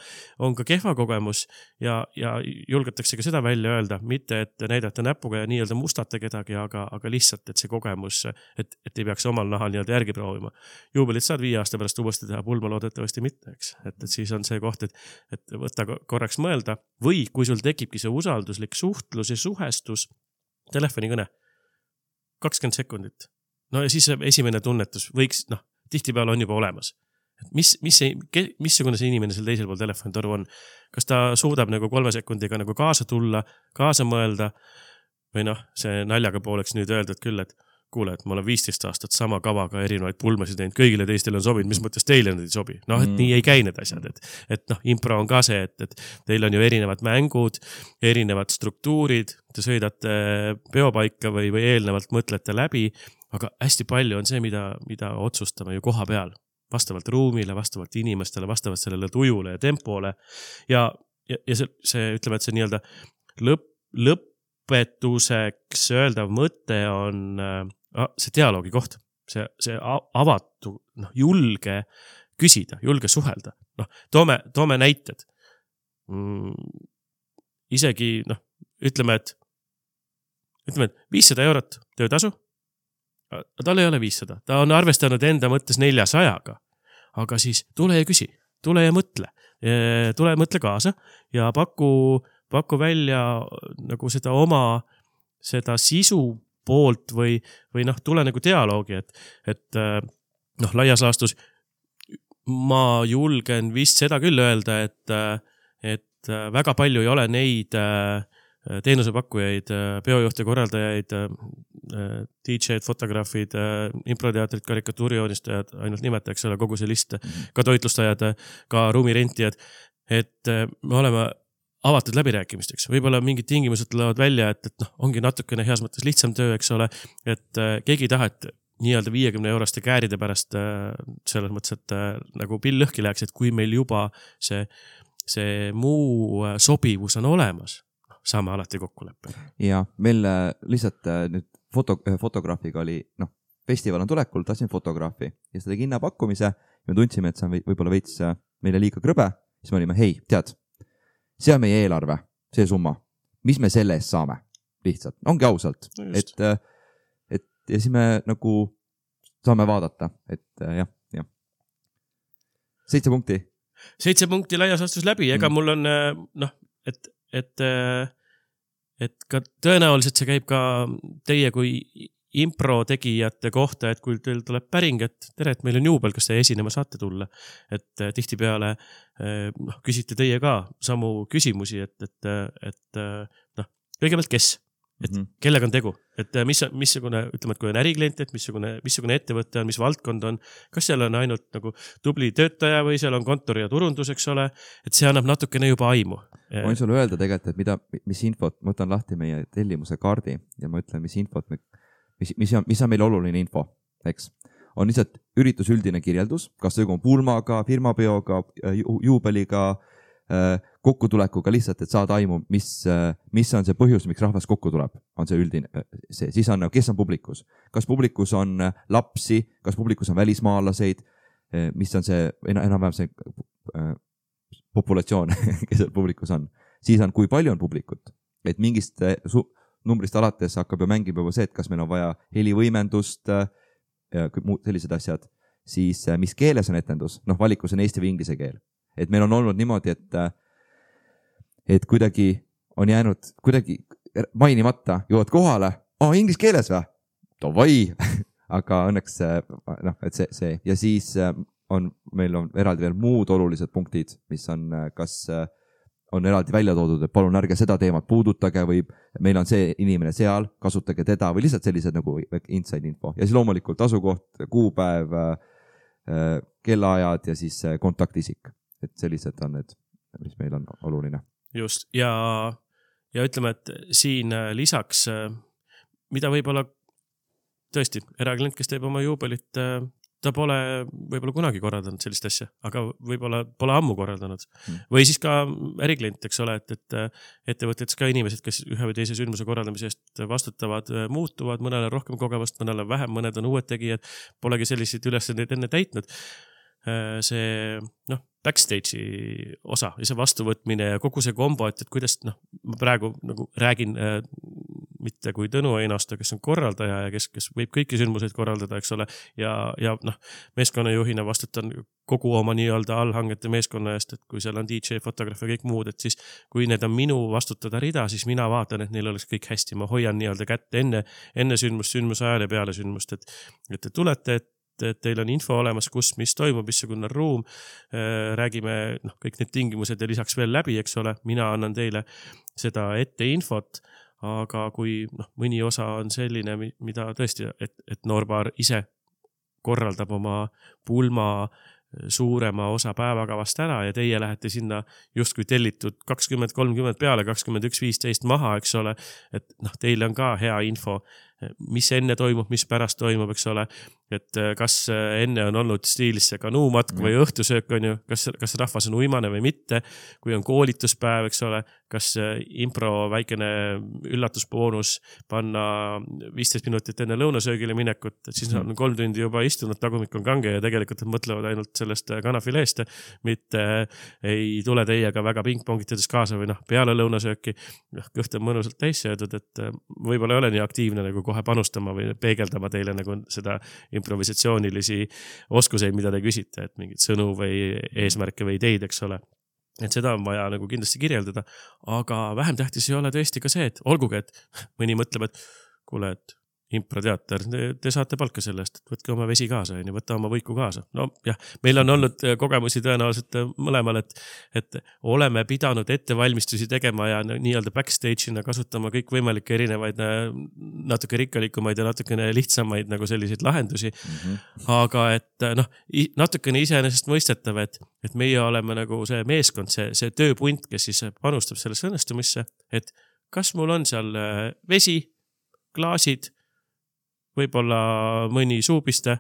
Speaker 2: on ka kehva kogemus ja, ja julgetakse ka seda välja öelda, mitte et näidata näpuga ja nii-öelda mustata kedagi, aga, aga lihtsalt, et see kogemus, et, et ei peaks omal nahal nii-öelda järgi proovima. Juubelit saad viie aasta pärast uuesti teha, pulma loodetavasti mitte, eks. Et, et siis on see koht, et, et võtta korraks mõelda või kui sul tekibki see usalduslik suhtlus ja suhestus, telefonikõne, kakskümmend sekundit. No ja siis esimene tunnetus võiks, noh, tihtipeale on juba olemas. Mis, mis see, missugune see inimene seal teisel pool telefonitoru on? Kas ta suudab nagu kolme sekundiga nagu kaasa tulla, kaasa mõelda või noh, see naljaga pooleks nüüd öelda, et küll, et kuule, et ma olen viisteist aastat sama kavaga erinevaid pulmasid teinud, kõigile teistele on sobinud, mis mõttes teile need ei sobi. Noh, et mm. nii ei käi need asjad, et, et noh, impro on ka see, et, et teil on ju erinevad mängud, erinevad struktuurid, te sõidate peopaika või, või eelnevalt mõtlete läbi, aga hästi palju on see, mida, mida otsustame ju koha peal, vastavalt ruumile, vastavalt inimestele, vastavalt sellele tujule ja tempole ja, ja, ja see, see, ütleme, et see nii-öelda lõpp, lõpetuseks öeldav mõte on äh, see dialoogi koht, see, see avatu, noh, julge küsida, julge suhelda. Noh, toome, toome näited. Mm, isegi, noh, ütleme, et ütleme, et viissada eurot töötasu, tal ei ole viissada, ta on arvestanud enda mõttes neljasajaga, aga siis tule ja küsi, tule ja mõtle, tule ja mõtle kaasa ja paku, paku välja nagu seda oma, seda sisu poolt või, või noh, tule nagu dialoogi, et, et noh, laias laastus ma julgen vist seda küll öelda, et, et väga palju ei ole neid teenusepakkujaid, peojuhte, korraldajaid, D J-d, fotograafid, improteatrid, karikatuurijoonistajad, ainult nimeta, eks ole, kogu see list, ka toitlustajad, ka ruumirentijad, et me oleme avatud läbirääkimisteks. Võib-olla mingid tingimused tulevad välja, et, et noh, ongi natukene heas mõttes lihtsam töö, eks ole, et keegi ei taha, et nii-öelda viiekümne euroste kääride pärast selles mõttes, et nagu pill lõhki läheks, et kui meil juba see, see muu sobivus on olemas, saame alati kokkuleppe.
Speaker 1: Ja meil lihtsalt nüüd foto, fotograafiga oli, noh, festival on tulekul, tahtsin fotograafi ja seda tegi hinnapakkumise. Me tundsime, et see on võib-olla veits meile liiga krõbe. Siis me olime, hei, tead, see on meie eelarve, see summa. Mis me selle eest saame? Lihtsalt, ongi ausalt. No et, et, ja siis me nagu saame vaadata, et jah, jah. Seitse punkti.
Speaker 2: Seitse punkti laias astus läbi, ega mm. mul on, noh, et, et et ka tõenäoliselt see käib ka teie kui impro tegijate kohta, et kui teil tuleb päring, et tere, et meil on juubel, kas te esinema saate tulla. Et tihtipeale noh, küsite teie ka samu küsimusi, et, et, et noh, kõigepealt kes? Et mm-hmm. kellega on tegu? Et mis, missugune, ütleme, et kui on äriklient, et missugune, missugune ettevõte on, mis valdkond on, kas seal on ainult nagu tubli töötaja või seal on kontori ja turundus, eks ole, et see annab natukene juba aimu.
Speaker 1: Ma võin sulle öelda tegelikult, et mida, mis infot, ma võtan lahti meie tellimuse kaardi ja ma ütlen, mis infot, mis, mis, on, mis on meil oluline info, eks. On lihtsalt üritus üldine kirjeldus, kas see on pulmaga, firmapeoga, ju, juubeliga, kokkutulekuga lihtsalt, et saada aimu, mis, mis on see põhjus, miks rahvas kokku tuleb, on see üldine, see, siis on, kes on publikus, kas publikus on lapsi, kas publikus on välismaalaseid, mis on see, enam-vähem see populatsioon, kes publikus on, siis on, kui palju on publikut, et mingist su, numbrist alates hakkab ju mängib juba see, et kas meil on vaja helivõimendust ja muud sellised asjad, siis mis keeles on etendus, noh valikus on eesti või inglise keel. Et meil on olnud niimoodi, et, et kuidagi on jäänud kuidagi mainimata, jõuad kohale, aa, inglise keeles või? Davai! Aga õnneks, noh, et see, see. Ja siis on, meil on eraldi veel muud olulised punktid, mis on, kas on eraldi välja toodud, et palun ärge seda teemat puudutage või meil on see inimene seal, kasutage teda või lihtsalt sellised nagu inside info. Ja siis loomulikult asukoht, kuupäev, kellaajad ja siis kontaktisik. Et sellised on need, mis meil on oluline.
Speaker 2: Just. Ja, ja ütleme, et siin lisaks, mida võib-olla tõesti, eraklient, kes teeb oma juubelit, ta pole võib-olla kunagi korraldanud sellist asja, aga võib-olla pole ammu korraldanud. Hmm. Või siis ka äriklient, eks ole, et, et ettevõttetes ka inimesed, kes ühe või teise sündmuse korraldamise eest vastutavad, muutuvad, mõnele rohkem kogemust, mõnele vähem, mõned on uued tegijad, polegi selliseid ülesandeid enne täitnud. See, noh, backstage'i osa ja see vastuvõtmine ja kogu see kombo, et, et kuidas, noh, ma praegu nagu räägin äh, mitte kui Tõnu Einasto, kes on korraldaja ja kes, kes võib kõiki sündmuseid korraldada, eks ole, ja, ja noh, meeskonnajuhina vastutan kogu oma nii-öelda allhangete meeskonna eest, et kui seal on D J, fotograaf ja kõik muud, et siis kui need on minu vastutada rida, siis mina vaatan, et neil oleks kõik hästi, ma hoian nii-öelda kätte enne, enne sündmust, sündmuse ajal ja peale sündmust, et, et te tulete, et et teil on info olemas, kus, mis toimub, missugune ruum, räägime noh, kõik need tingimused ja lisaks veel läbi, eks ole, mina annan teile seda ette infot, aga kui noh, mõni osa on selline, mida tõesti, et, et noorpaar ise korraldab oma pulma suurema osa päevakavast ära ja teie lähete sinna justkui tellitud kakskümmend kolmkümmend peale, kakskümmend üks viisteist maha, eks ole, et noh, teile on ka hea info, mis enne toimub, mis pärast toimub, eks ole, et kas enne on olnud stiilis see kanuumatk või õhtusöök on ju, kas, kas rahvas on uimane või mitte, kui on koolituspäev, eks ole, kas impro väikene üllatusboonus panna viisteist minutit enne lõunasöögile minekut, et siis on kolm tundi juba istunud, tagumik on kange ja tegelikult mõtlevad ainult sellest kanafileest, mitte ei tule teiega väga pingpongitades kaasa või noh, peale lõunasööki, kõht on mõnusalt täis söödud, et võib-olla ei ole nii aktiivne nagu kohe panustama või peegeldama teile nagu seda improvisatsioonilisi oskuseid, mida te küsite, et mingid sõnu või eesmärke või ideid, eks ole. Et seda on vaja nagu kindlasti kirjeldada, aga vähem tähtis ei ole tõesti ka see, et olgugi, et mõni mõtleb, et kuule, et improteater, te, te saate palka sellest, et võtke oma vesi kaasa, ja võtta oma võiku kaasa. No jah, meil on olnud kogemusi tõenäoliselt mõlemal, et, et oleme pidanud ettevalmistusi tegema ja nii-öelda backstage'ina kasutama kõik võimalikke erinevaid natuke rikkalikumaid ja natukene lihtsamaid nagu selliseid lahendusi. Mm-hmm. Aga et noh, natukene iseenesest mõistetav, et, et meie oleme nagu see meeskond, see, see tööpunt, kes siis panustab sellesse õnnestumisse, et kas mul on seal vesi, klaasid, võib-olla mõni suupiste,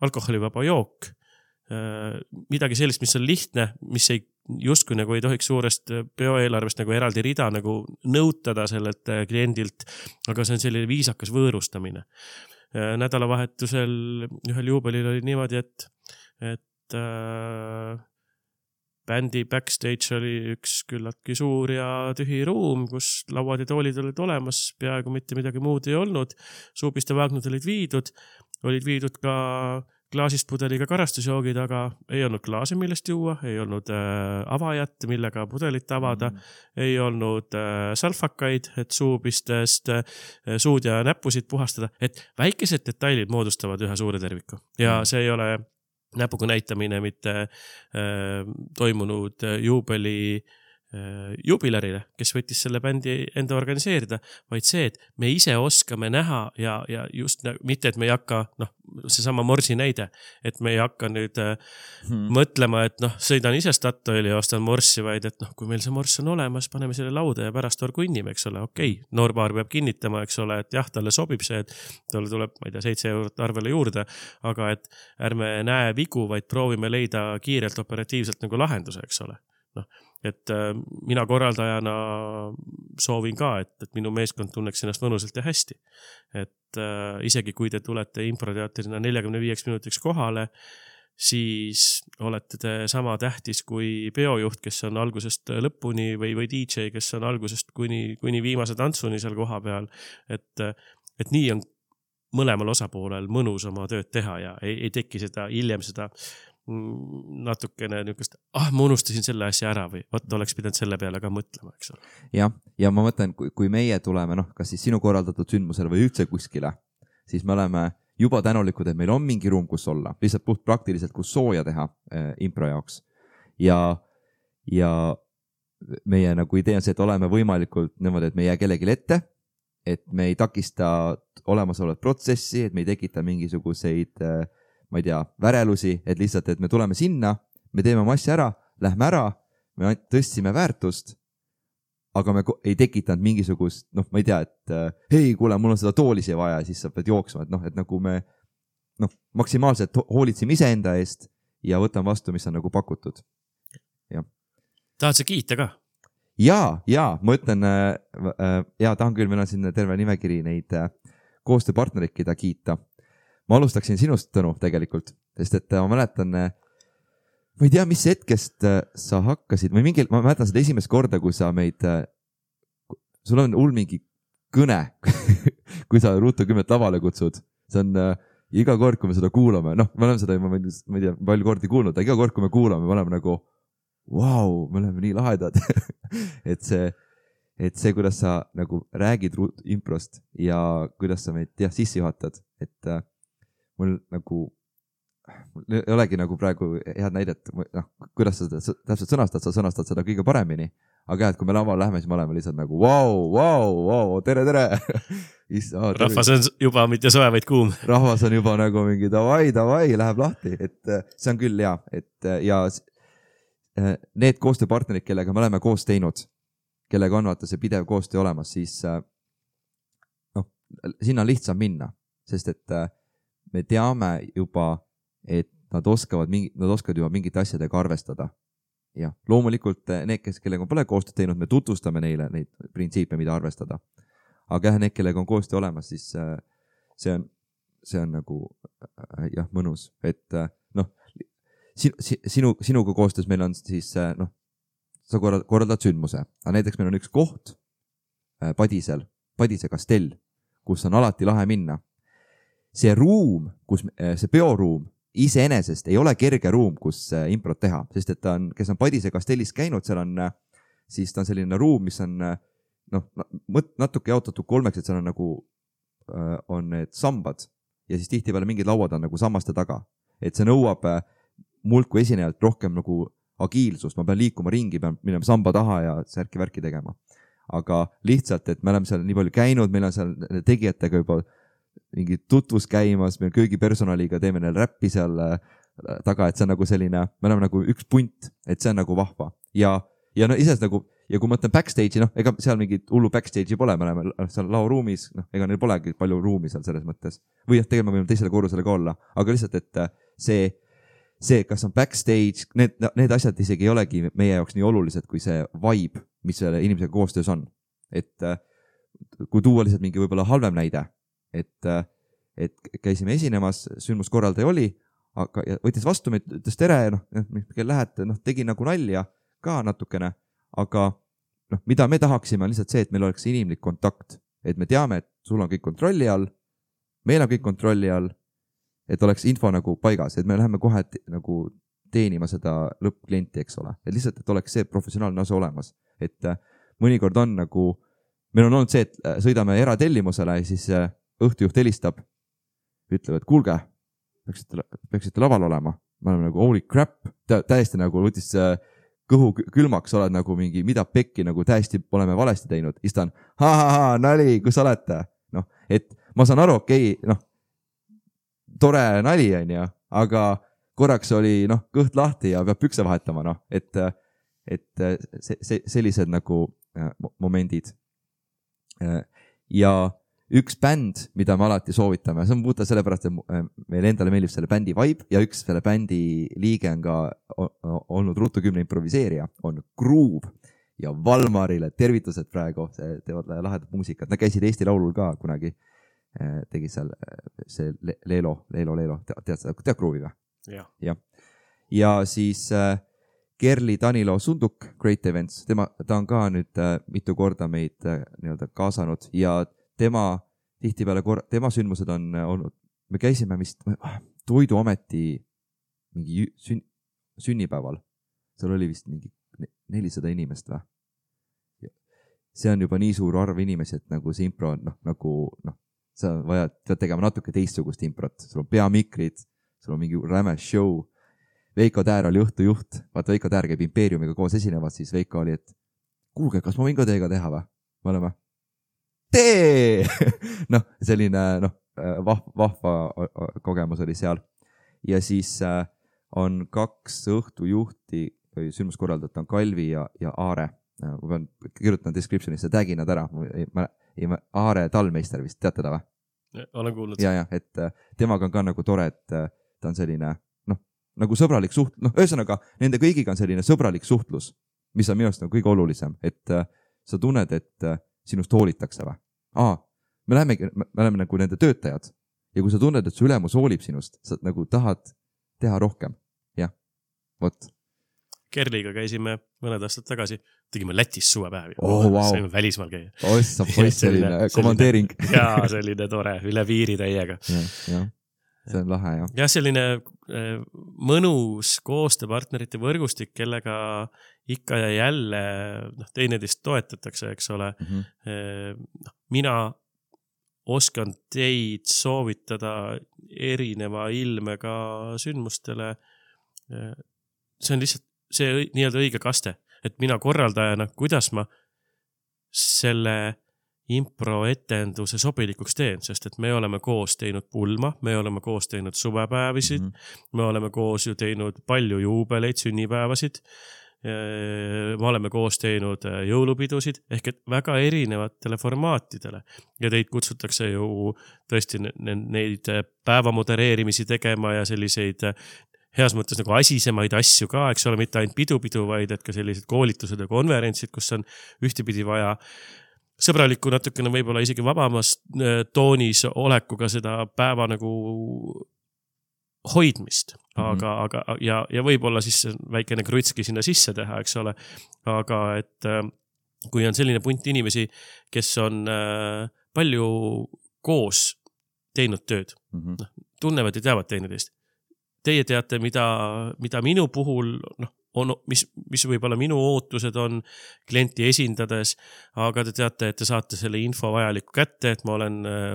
Speaker 2: alkoholivaba jook, midagi sellist, mis on lihtne, mis ei, justkui nagu ei tohiks suurest peoeelarvest nagu eraldi rida nagu nõutada sellelt kliendilt, aga see on selline viisakas võõrustamine. Nädalavahetusel ühel juubelil oli niimoodi, et, et äh, bändi backstage oli üks küllaltki suur ja tühi ruum, kus lauad ja toolid olid olemas, peaaegu mitte midagi muud ei olnud. Suupiste vaagnud olid viidud, olid viidud ka klaasist pudeliga karastusjoogid, aga ei olnud klaasi, millest juua, ei olnud äh, avajat, millega pudelit avada, mm. ei olnud äh, salfakaid, et suupistest äh, suud ja näppusid puhastada, et väikesed detailid moodustavad ühe suure terviku. Ja mm. see ei ole näpuga näitamine mitte äh, toimunud juubeli äh, jubilarile, kes võttis selle bändi enda organiseerida, vaid see, et me ise oskame näha ja, ja just mitte, et me ei hakka, noh, seesama Morsi näide, et me ei hakka nüüd äh, hmm. mõtlema, et noh, sõidan ise Statoili ja ostan Morsi, vaid et noh, kui meil see Mors on olemas, paneme selle lauda ja pärast orgu innime, eks ole, okei, okay. Noorpaar peab kinnitama, eks ole, et jah, talle sobib see, et talle tuleb, ma ei tea, seitse eurot arvele juurde, aga et ärme näe vigu, vaid proovime leida kiirelt operatiivselt nagu lahenduse, eks ole. Noh, et äh, mina korraldajana soovin ka, et, et minu meeskond tunneks ennast mõnusalt ja hästi. Et äh, isegi kui te tulete improteatrina neljakümne viieks minutiks kohale, siis olete te sama tähtis kui peojuht, kes on algusest lõpuni või, või D J, kes on algusest kuni, kuni viimase tantsuni seal koha peal. Et, et nii on mõlemal osapoolel mõnus oma tööd teha ja ei, ei teki seda hiljem seda natukene niukest, ah, ma unustasin selle asja ära või võtta oleks pidanud selle peale ka mõtlema, eks ole.
Speaker 1: jah, ja ma mõtlen, kui, kui meie tuleme, noh, kas siis sinu korraldatud sündmusele või üldse kuskile, siis me oleme juba tänulikud, et meil on mingi ruum, kus olla, lihtsalt puht praktiliselt, kus sooja teha äh, impro jaoks. Ja, ja meie nagu idee on see, et oleme võimalikult niimoodi, et me ei jää kellelegi ette, et me ei takista olemasolevat protsessi, et me ei tekita mingisuguseid äh, ma ei tea, värelusi, et lihtsalt, et me tuleme sinna, me teeme oma asja ära, lähme ära, me tõstsime väärtust, aga me ei tekitanud mingisugust, noh, ma ei tea, et hei, kuule, mul on seda toolisi vaja, siis sa pead jooksma, et noh, et nagu me noh, maksimaalselt hoolitsime iseenda eest ja võtame vastu, mis on nagu pakutud. Ja.
Speaker 2: Tahad sa kiita ka?
Speaker 1: Jaa, jaa, ma ütlen, jaa, tahan küll, meil on siin terve nimekiri neid koostööpartnerid, keda kiita. Ma alustaksin sinust, Tõnu, tegelikult, sest et ma mäletan, ma ei tea, mis hetkest sa hakkasid, või mingil, ma mäletan seda esimest korda, kui sa meid, sul on hull mingi kõne, kui sa Ruutu kümmet lavale kutsud. See on äh, iga kord, kui me seda kuulame, noh, me oleme seda, ma ei tea, palju kordi kuulnud, aga iga kord, kui me kuulame, me oleme nagu, vau, me oleme nii lahedad. et see, et see, kuidas sa nagu räägid improst ja kuidas sa meid jah, sisse juhatad, et äh, mul nagu, mul ei olegi nagu praegu head näidet, noh, kuidas sa seda täpselt sõnastad, sa sõnastad seda kõige paremini. Aga jah, et kui me laval lähme, siis me oleme lihtsalt nagu vau, vau, vau, tere, tere. Issa,
Speaker 2: rahvas on juba mitte soe, vaid kuum.
Speaker 1: Rahvas on juba nagu mingi davai, davai, läheb lahti. Et see on küll hea. Et, ja need koostööpartnerid, kellega me oleme koos teinud, kellega on vaata see pidev koostöö olemas, siis noh, sinna on lihtsam minna, sest et me teame juba, et nad oskavad, mingi, nad oskavad juba mingite asjadega arvestada. Ja loomulikult need, kes, kellega pole koostööd teinud, me tutvustame neile neid printsiipe, mida arvestada. Aga jah, need, kellega on koostöö olemas, siis see on, see on nagu jah, mõnus. Et noh, sinu, sinu, sinuga koostöös meil on siis noh, sa korraldad sündmuse. Aga näiteks meil on üks koht Padisel, Padise kastell, kus on alati lahe minna. See ruum, kus, see peoruum iseenesest ei ole kerge ruum, kus improt teha, sest et ta on, kes on Padise kastellis käinud, seal on, siis ta on selline ruum, mis on noh, natuke jaotatud kolmeks, et seal on nagu, on need sambad ja siis tihti peale mingid lauad on nagu sammaste taga. Et see nõuab mult kui esinejalt rohkem nagu agiilsust, ma pean liikuma ringi, pean minema samba taha ja särki-värki tegema. Aga lihtsalt, et me oleme seal nii palju käinud, meil on seal tegijatega juba mingi tutvus käimas, meil köögipersonaliga teeme neil räppi seal taga, et see on nagu selline, me oleme nagu üks punt, et see on nagu vahva. Ja, ja no ises nagu, ja kui ma mõtlen backstage'i, noh, ega seal mingit hullu backstage'i pole, me oleme seal laoruumis, noh, ega neil polegi palju ruumi seal selles mõttes. Või jah, tegelikult me võime teisele korrusele ka olla, aga lihtsalt, et see, see, kas on backstage, need, need asjad isegi ei olegi meie jaoks nii olulised, kui see vibe, mis selle inimesega koostöös on. Et kui tuua lihtsalt mingi võib-olla halvem näide, et, et käisime esinemas, sündmuskorraldaja oli, aga võttis vastu meid, ütles tere, noh, kell lähed, noh, tegi nagu nalja ka natukene, aga noh, mida me tahaksime on lihtsalt see, et meil oleks inimlik kontakt, et me teame, et sul on kõik kontrolli all, meil on kõik kontrolli all, et oleks info nagu paigas, et me läheme kohe nagu teenima seda lõppklienti, eks ole, et lihtsalt, et oleks see professionaalne osa olemas, et mõnikord on nagu, meil on olnud see, et sõidame eratellimusele ja siis õhtujuht helistab, ütleb, et kuulge, peaksite, peaksite laval olema. Me oleme nagu, holy crap, tä, täiesti nagu võtis kõhu külmaks, oled nagu mingi, mida pekki, nagu täiesti oleme valesti teinud. Istan, ha, ha, ha, nali, kus olete? Noh, et ma saan aru, okei, okay, noh, tore nali on ja, aga korraks oli, noh, kõht lahti ja peab pükse vahetama, noh, et, et see, see, sellised nagu momendid. Ja üks bänd, mida me alati soovitame, see on puuta sellepärast, et meil endale meeldib selle bändi vibe ja üks selle bändi liige on ka olnud Ruutu kümne improviseerija, on Groove ja Valmarile tervitused praegu, teevad lahedat muusikat. Nad käisid Eesti Laulul ka kunagi, tegi seal see Leelo, Leelo, Leelo, tead, tead Groovi või?
Speaker 2: Ja.
Speaker 1: Ja. ja siis äh, Kerli Danilo Sunduk, Great Events, tema, ta on ka nüüd äh, mitu korda meid äh, nii-öelda kaasanud ja tema tihtipeale, kor- tema sündmused on äh, olnud, me käisime vist äh, Toiduameti mingi sün- sünnipäeval, seal oli vist mingi nelisada inimest või? See on juba nii suur arv inimesi, et nagu see impro on noh, nagu noh, sa vajad, pead tegema natuke teistsugust improt, sul on peamikrid, sul on mingi räme show. Veiko Täär oli õhtujuht, vaata Veiko Täär käib Impeeriumiga koos esinevad, siis Veiko oli, et kuulge, kas ma võin ka teiega teha või? Me oleme, tee! noh, selline noh, vahva, vahva kogemus oli seal. Ja siis äh, on kaks õhtujuhti või sündmuskorraldajat on Kalvi ja, ja Aare. Ma pean kirjutan descriptionisse, tagin nad ära. Ma, ma, Aare Talmeister vist, teate ta või?
Speaker 2: Olen kuulnud.
Speaker 1: Ja, ja, et temaga on ka nagu tore, et ta on selline, noh, nagu sõbralik suht-, noh, ühesõnaga, nende kõigiga on selline sõbralik suhtlus, mis on minu arust nagu kõige olulisem, et sa tunned, et sinust hoolitakse või? Aa, me läheme, me läheme nagu nende töötajad ja kui sa tunned, et su ülemus hoolib sinust, sa nagu tahad teha rohkem. Jah, vot.
Speaker 2: Kerliga käisime mõned aastad tagasi, tegime Lätis suvepäevi.
Speaker 1: Oh, wow.
Speaker 2: Saime välismaal käia.
Speaker 1: Ossa poiss, selline, selline komandeering.
Speaker 2: Jaa, selline tore, üle piiri täiega.
Speaker 1: Ja, ja. See on lahe, jah.
Speaker 2: Jah, selline mõnus koostööpartnerite võrgustik, kellega ikka ja jälle noh, teineteist toetatakse, eks ole. Mm-hmm. Mina oskan teid soovitada erineva ilmega sündmustele. See on lihtsalt see nii-öelda õige kaste, et mina korraldajana, kuidas ma selle improetenduse sobilikuks teen, sest et me oleme koos teinud pulma, me oleme koos teinud suvepäevisid, mm-hmm. me oleme koos ju teinud palju juubeleid, sünnipäevasid, me oleme koos teinud jõulupidusid, ehk et väga erinevatele formaatidele ja teid kutsutakse ju tõesti neid päeva modereerimisi tegema ja selliseid heas mõttes nagu asisemaid asju ka, eks ole, mitte ainult pidu-pidu, vaid et ka sellised koolitused ja konverentsid, kus on ühtepidi vaja sõbralikku natukene võib-olla isegi vabamas toonis olekuga seda päeva nagu hoidmist, aga, mm-hmm. aga ja, ja võib-olla siis väikene krutski sinna sisse teha, eks ole, aga et kui on selline punt inimesi, kes on palju koos teinud tööd, mm-hmm. tunnevad ja teavad teineteist. Teie teate, mida, mida minu puhul, noh, on, mis, mis võib-olla minu ootused on klienti esindades, aga te teate, et te saate selle info vajaliku kätte, et ma olen äh,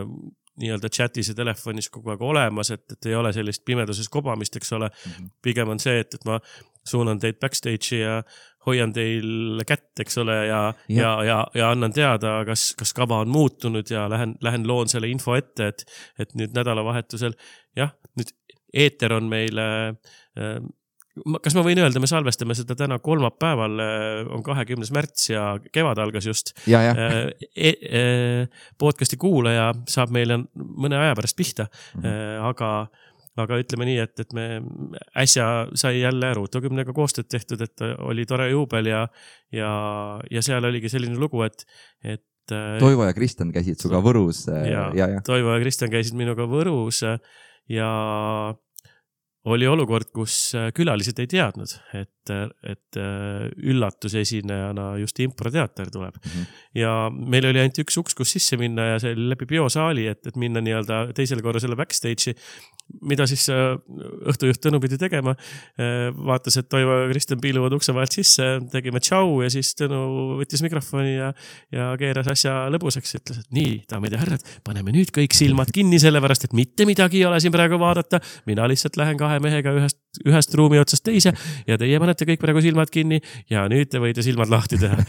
Speaker 2: nii-öelda chatis ja telefonis kogu aeg olemas, et, et ei ole sellist pimeduses kobamist, eks ole. Mm-hmm. Pigem on see, et, et ma suunan teid backstage'i ja hoian teil kätt, eks ole, ja, ja. Ja, ja, ja annan teada, kas, kas kava on muutunud ja lähen, lähen loon selle info ette, et, et nüüd nädalavahetusel, jah, nüüd eeter on meil, kas ma võin öelda, me salvestame seda täna kolmapäeval, on kahekümnes märts ja kevad algas just.
Speaker 1: Ja, ja.
Speaker 2: E, e, podcasti kuulaja saab meile mõne aja pärast pihta, mm-hmm. aga, aga ütleme nii, et, et me äsja sai jälle Ruutokümnega koostööd tehtud, et oli tore juubel ja, ja, ja seal oligi selline lugu, et, et
Speaker 1: Toivo ja Kristjan käisid suga Võrus.
Speaker 2: Ja, ja, ja. Toivo ja Kristjan käisid minuga Võrus ja oli olukord, kus külalised ei teadnud, et, et üllatusesinejana just improteater tuleb. Mm-hmm. Ja meil oli ainult üks uks, kus sisse minna ja see oli läbi biosaali, et, et minna nii-öelda teisele korrusele backstage'i, mida siis õhtujuht Tõnu pidi tegema. Vaatas, et Toivo ja Kristjan piiluvad ukse vahelt sisse, tegime tšau ja siis Tõnu võttis mikrofoni ja, ja keeras asja lõbuseks. Ütles, et nii, daamid ja härrad, paneme nüüd kõik silmad kinni sellepärast, et mitte midagi ei ole siin praegu vaadata. Mina lihtsalt lähen kahe mehega ühest, ühest ruumi otsast teise ja teie panete kõik praegu silmad kinni ja nüüd te võite silmad lahti teha.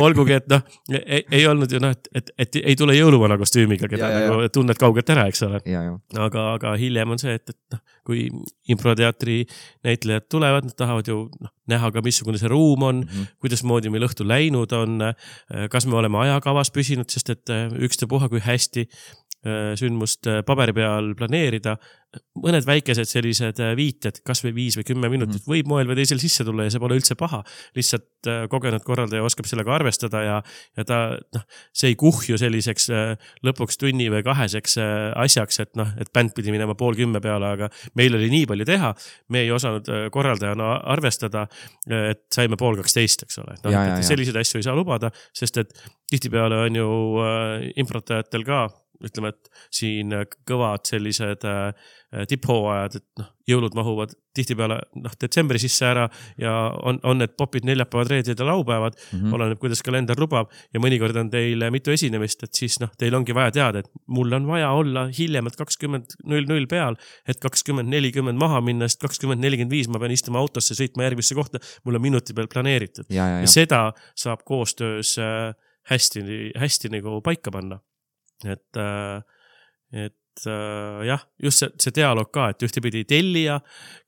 Speaker 2: Olgugi, et noh, ei, ei olnud ju noh, et, et, et ei tule jõuluvana kostüümiga, keda ja, nagu ja. Tunned kaugelt ära, eks ole.
Speaker 1: Ja, ja.
Speaker 2: Aga, aga hiljem on see, et, et noh, kui improteatri näitlejad tulevad, nad tahavad ju noh, näha ka, missugune see ruum on, mm-hmm. kuidas moodi meil õhtu läinud on, kas me oleme ajakavas püsinud, sest et ükstapuha, kui hästi sündmust paberi peal planeerida, mõned väikesed sellised viited, kas või viis või kümme minutit mm. võib moel või teisel sisse tulla ja see pole üldse paha. Lihtsalt kogenud korraldaja oskab sellega arvestada ja, ja ta, noh, see ei kuhju selliseks lõpuks tunni või kaheseks asjaks, et noh, et bänd pidi minema pool kümme peale, aga meil oli nii palju teha, me ei osanud korraldajana arvestada, et saime pool kaksteist, eks ole. No, ja, et ja, selliseid asju ei saa lubada, sest et tihtipeale on ju improtajatel ka, ütleme, et siin kõvad sellised tipphooajad, et noh, jõulud mahuvad tihtipeale noh, detsembri sisse ära ja on, on need popid neljapäevad, reeded ja laupäevad, mm-hmm. oleneb, kuidas kalender lubab ja mõnikord on teil mitu esinemist, et siis noh, teil ongi vaja teada, et mul on vaja olla hiljemalt kakskümmend null null peal, et kakskümmend nelikümmend maha minna, sest kakskümmend nelikümmend viis ma pean istuma autosse, sõitma järgmisse kohta, mul on minuti peal planeeritud. Ja, ja, ja. ja seda saab koostöös hästi, hästi nagu paika panna. Et, et jah, just see, see dialoog ka, et ühtepidi tellija,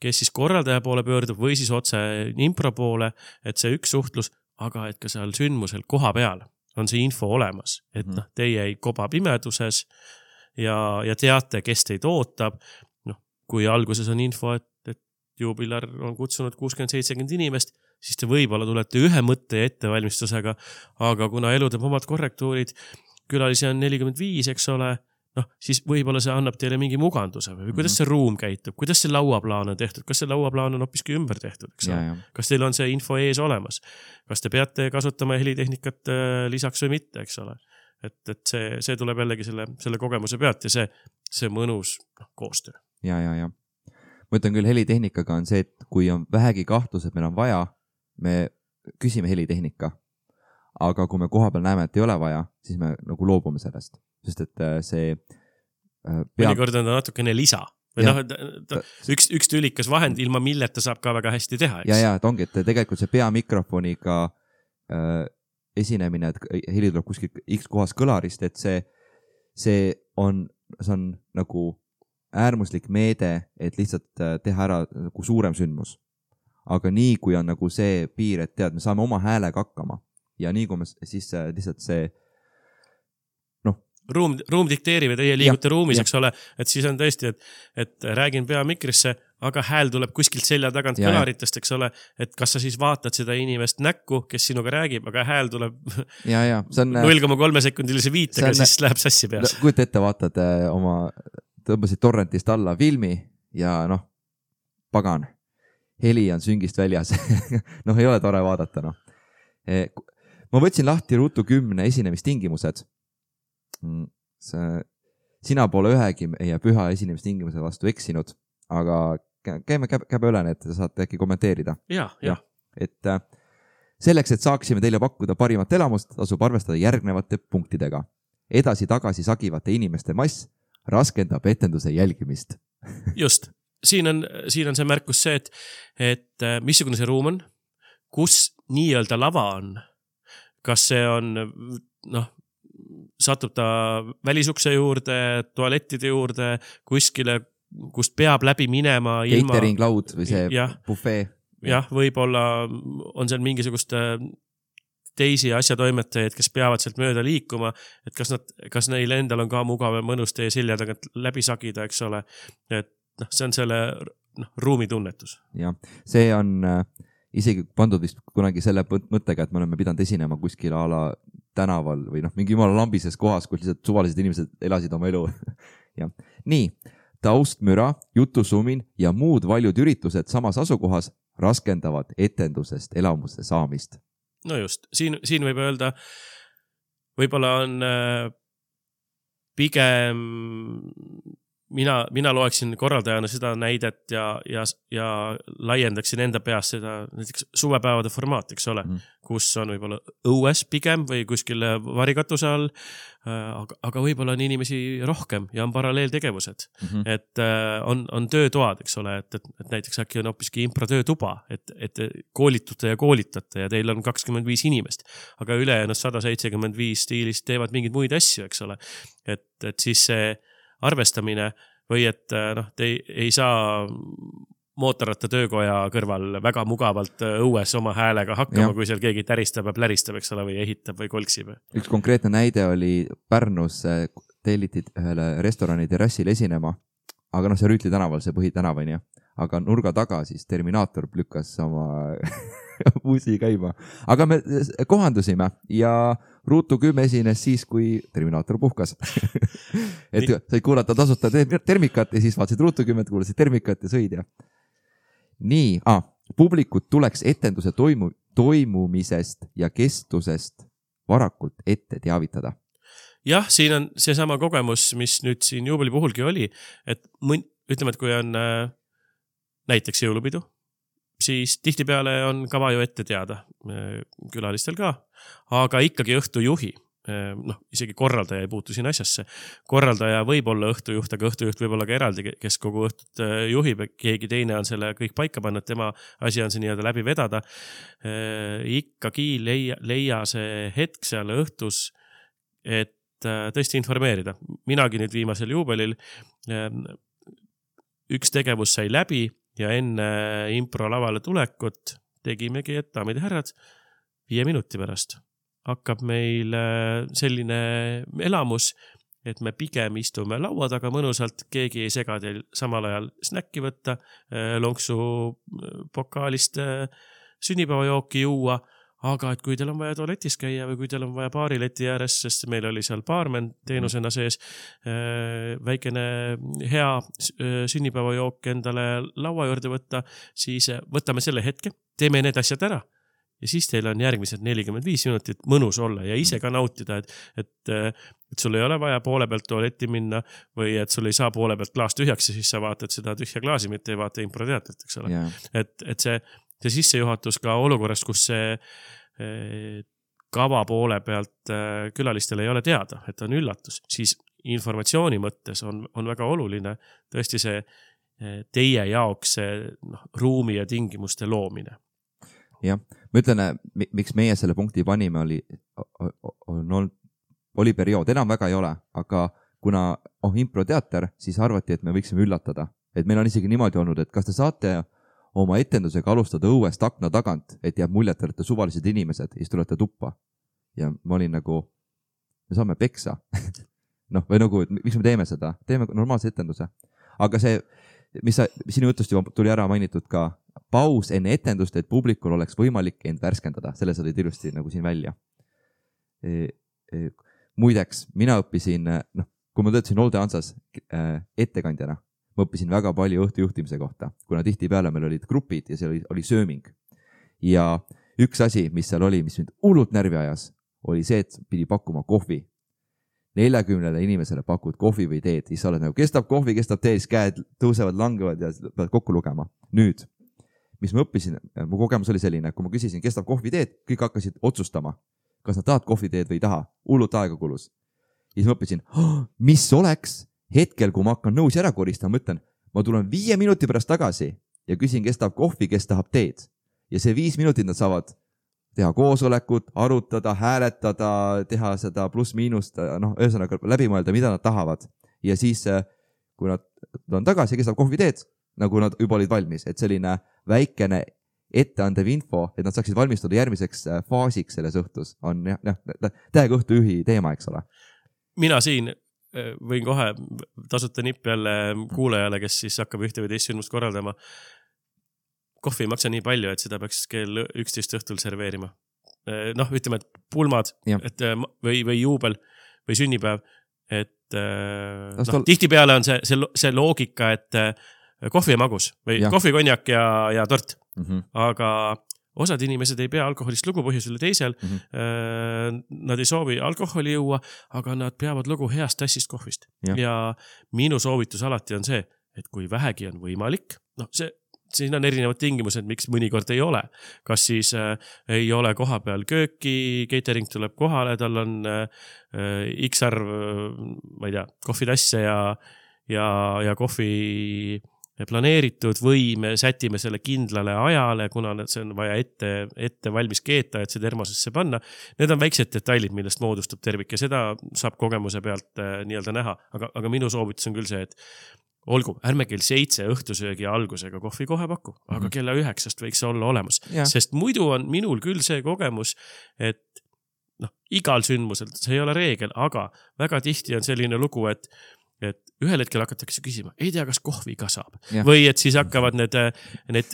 Speaker 2: kes siis korraldaja poole pöördub või siis otse impro poole, et see üks suhtlus, aga et ka seal sündmusel koha peal on see info olemas, et noh, teie ei koba pimeduses ja, ja teate, kes teid ootab. Noh, kui alguses on info, et, et juubilar on kutsunud kuuskümmend seitsekümmend inimest, siis te võib-olla tulete ühe mõtte ja ettevalmistusega, aga kuna elu teeb omad korrektuurid, külalisi on nelikümmend viis, eks ole, noh, siis võib-olla see annab teile mingi muganduse või kuidas see ruum käitub, kuidas see lauaplaan on tehtud, kas see lauaplaan on hoopiski ümber tehtud, eks ole, kas teil on see info ees olemas, kas te peate kasutama helitehnikat lisaks või mitte, eks ole, et, et see, see tuleb jällegi selle, selle kogemuse pealt ja see, see mõnus noh, koostöö.
Speaker 1: Ja, ja, ja. Ma ütlen küll, helitehnikaga on see, et kui on vähegi kahtlus, et meil on vaja, me küsime helitehnika. Aga kui me koha peal näeme, et ei ole vaja, siis me nagu loobume sellest. Sest et see
Speaker 2: peab... mõnikord on ta natukene lisa. Või noh, ta, üks, üks tülikas vahend, ilma milleta saab ka väga hästi teha. Eks?
Speaker 1: Ja, ja, et ongi, et tegelikult see peamikrofoniga äh, esinemine, et heli tuleb kuskil X kohas kõlarist, et see, see, on, see on nagu äärmuslik meede, et lihtsalt teha ära nagu suurem sündmus. Aga nii, kui on nagu see piir, et tead, me saame oma häälega hakkama. Ja nii kui me siis lihtsalt see noh.
Speaker 2: Ruum, ruum dikteerib ja teie liigute ja, ruumis, ja. Eks ole, et siis on tõesti, et, et räägin peamikrisse, aga hääl tuleb kuskilt selja tagant ja, kõlaritest, eks ole, et kas sa siis vaatad seda inimest näkku, kes sinuga räägib, aga hääl tuleb
Speaker 1: ja, ja. On,
Speaker 2: null koma kolm sekundilise viitega, on, siis läheb sassi peas.
Speaker 1: Kujuta ette, vaatad oma, tõmbasid torrentist alla filmi ja noh, pagan, heli on süngist väljas. noh, ei ole tore vaadata, noh. Ma võtsin lahti ruutu kümne esinemistingimused. Sina pole ühegi meie püha esinemistingimuse vastu eksinud, aga käime käbe üle, et saate äkki kommenteerida.
Speaker 2: Ja, ja.
Speaker 1: Et selleks, et saaksime teile pakkuda parimat elamust, tasub arvestada järgnevate punktidega. Edasi-tagasi sagivate inimeste mass raskendab etenduse jälgimist.
Speaker 2: Just. Siin on, siin on see märkus see, et, et missugune see ruum on, kus nii-öelda lava on, kas see on, noh, satub ta välisukse juurde, tualettide juurde, kuskile, kust peab läbi minema ilma...
Speaker 1: Catering laud või see ja, buffet.
Speaker 2: Jah, võib-olla on seal mingisugust teisi asjatoimetajaid, kes peavad sealt mööda liikuma, et kas, nad, kas neil endal on ka mugav ja mõnus teie selja tagant läbi sagida, eks ole. Et noh, see on selle noh, ruumitunnetus.
Speaker 1: Ja, see on... isegi pandud vist kunagi selle mõttega, et me oleme pidanud esinema kuskil ala tänaval või noh, mingi jumala lambises kohas, kus lihtsalt suvalised inimesed elasid oma elu. ja. Nii, taustmüra, jutusumin ja muud valjud üritused samas asukohas raskendavad etendusest elamuse saamist.
Speaker 2: No just, siin, siin võib öelda, võib-olla on äh, pigem... Mina, mina loeksin korraldajana seda näidet ja, ja, ja laiendaksin enda peas seda näiteks suvepäevade formaat, eks ole, mm. kus on võib-olla õues pigem või kuskil varikatuse all, aga, aga võib-olla on inimesi rohkem ja on paralleeltegevused. Mm-hmm. Et on, on töötoad, eks ole, et, et, et näiteks äkki on hoopiski impro töötuba, et, et koolitute ja koolitate ja teil on kakskümmend viis inimest, aga ülejäänud sada seitsekümmend viis stiilist teevad mingeid muid asju, eks ole. Et, et siis see arvestamine või et noh, te ei, ei saa mootorratta töökoja kõrval väga mugavalt õues oma häälega hakkama, ja. Kui seal keegi täristab ja pläristab, eks ole, või ehitab või kolksib.
Speaker 1: Üks konkreetne näide oli Pärnus tellitid ühele restorani terrassil esinema, aga noh, see Rüütli tänaval, see põhitänava on ju, aga nurga taga siis Terminaator lükkas oma muusi käima. Aga me kohandusime ja Ruutu kümme esines siis, kui Terminaator puhkas. et said kuulata tasuta termikat ja siis vaatasid Ruutu kümmet, kuulasid termikat ja sõid ja. Nii, ah, publikut tuleks etenduse toimu, toimumisest ja kestusest varakult ette teavitada.
Speaker 2: Jah, siin on see sama kogemus, mis nüüd siin juubeli puhulgi oli, et mõn, ütleme, et kui on äh, näiteks jõulupidu, siis tihtipeale on kava ju ette teada äh, külalistel ka, aga ikkagi õhtujuhi, äh, noh, isegi korraldaja ei puutu siin asjasse. Korraldaja võib olla õhtujuht, aga õhtujuht võib olla ka eraldi, kes kogu õhtut äh, juhib, keegi teine on selle kõik paika pannud, tema asi on see nii-öelda läbi vedada. Äh, ikkagi leia, leia see hetk seal õhtus, et tõesti informeerida. Minagi nüüd viimasel juubelil üks tegevus sai läbi ja enne impro lavale tulekut tegimegi, et daamid ja härrad, viie minuti pärast hakkab meil selline elamus, et me pigem istume laua taga mõnusalt, keegi ei sega teil samal ajal snäkki võtta, lonksu pokaalist sünnipäevajooki juua, aga et kui teil on vaja tualetis käia või kui teil on vaja baarileti ääres, sest meil oli seal baarmen teenusena sees, väikene hea sünnipäevajook endale laua juurde võtta, siis võtame selle hetke, teeme need asjad ära ja siis teil on järgmised nelikümmend viis minutit mõnus olla ja ise ka nautida, et, et, et sul ei ole vaja poole pealt tualetti minna või et sul ei saa poole pealt klaas tühjaks ja siis sa vaatad seda tühja klaasi, mitte ei vaata improteatrit, eks ole. Yeah. Et, et see see sissejuhatus ka olukorras, kus see kava poole pealt külalistel ei ole teada, et on üllatus, siis informatsiooni mõttes on, on väga oluline tõesti see teie jaoks see noh, ruumi ja tingimuste loomine.
Speaker 1: Jah, ma ütlen, miks meie selle punkti panime, oli, on, oli periood, enam väga ei ole, aga kuna oh, improteater, siis arvati, et me võiksime üllatada. Et meil on isegi niimoodi olnud, et kas te saate oma etendusega alustada õuest akna tagant, et jääb muljet, et olete suvalised inimesed ja siis tulete tuppa. Ja ma olin nagu, me saame peksa. noh, või nagu, miks me teeme seda? Teeme normaalse etenduse. Aga see, mis sa, sinu jutust juba tuli ära mainitud ka, paus enne etendust, et publikul oleks võimalik end värskendada. Selle sa olid ilusti nagu siin välja. E, e, muideks, mina õppisin, noh, kui ma töötasin Olde Ansas ettekandjana, ma õppisin väga palju õhtujuhtimise kohta, kuna tihti peale meil olid grupid ja see oli, oli sööming. Ja üks asi, mis seal oli, mis mind hullult närvi ajas, oli see, et pidi pakkuma kohvi. neljakümnele inimesele pakud kohvi või teed, siis sa oled nagu, kestab kohvi, kestab teed, siis käed tõusevad, langevad ja pead kokku lugema. Nüüd, mis ma õppisin, mu kogemus oli selline, kui ma küsisin, kestab kohvi teed, kõik hakkasid otsustama, kas nad tahavad kohvi teed või ei taha, hullult aega kulus. Ja siis ma õppisin, oh, mis oleks hetkel, kui ma hakkan nõusi ära koristama, mõtlen, ma tulen viie minuti pärast tagasi ja küsin, kes tahab kohvi, kes tahab teed. Ja see viis minutit nad saavad teha koosolekut, arutada, hääletada, teha seda pluss-miinust, noh, ühesõnaga läbi mõelda, mida nad tahavad. Ja siis, kui nad on tagasi, kes tahab kohvi teed, nagu nad juba olid valmis, et selline väikene etteandev info, et nad saaksid valmistuda järgmiseks faasiks selles õhtus, on jah, jah, täiega õhtujuhi teema, eks ole.
Speaker 2: Mina siin võin kohe tasuta nipp jälle kuulajale, kes siis hakkab ühte või teist sündmust korraldama. Kohvi ei maksa nii palju, et seda peaks kell üksteist õhtul serveerima. Noh, ütleme, et pulmad et, või, või juubel või sünnipäev, et no, tol... tihti peale on see, see, see loogika, et kohvi ja magus või ja. kohvi, konjak ja, ja tort. Mm-hmm. Aga osad inimesed ei pea alkoholist lugu põhjusele teisel. Mm-hmm. Nad ei soovi alkoholi juua, aga nad peavad lugu heast tassist kohvist. Ja. ja minu soovitus alati on see, et kui vähegi on võimalik, noh, see, siin on erinevad tingimused, miks mõnikord ei ole. Kas siis äh, ei ole koha peal kööki, catering tuleb kohale, tal on äh, X arv, ma ei tea, kohvitasse ja, ja, ja kohvi planeeritud või me sätime selle kindlale ajale, kuna see on vaja ette, ette valmis keeta, et see termosesse panna. Need on väiksed detailid, millest moodustub tervik ja seda saab kogemuse pealt äh, nii-öelda näha. Aga, aga minu soovitus on küll see, et olgu, ärme kell seitse õhtusöögi algusega kohvi kohe paku, aga mm-hmm. kella üheksast võiks olla olemas. Ja. Sest muidu on minul küll see kogemus, et noh, igal sündmusel, see ei ole reegel, aga väga tihti on selline lugu, et et ühel hetkel hakatakse küsima, ei tea, kas kohvi ka saab. Ja. Või et siis hakkavad need, need,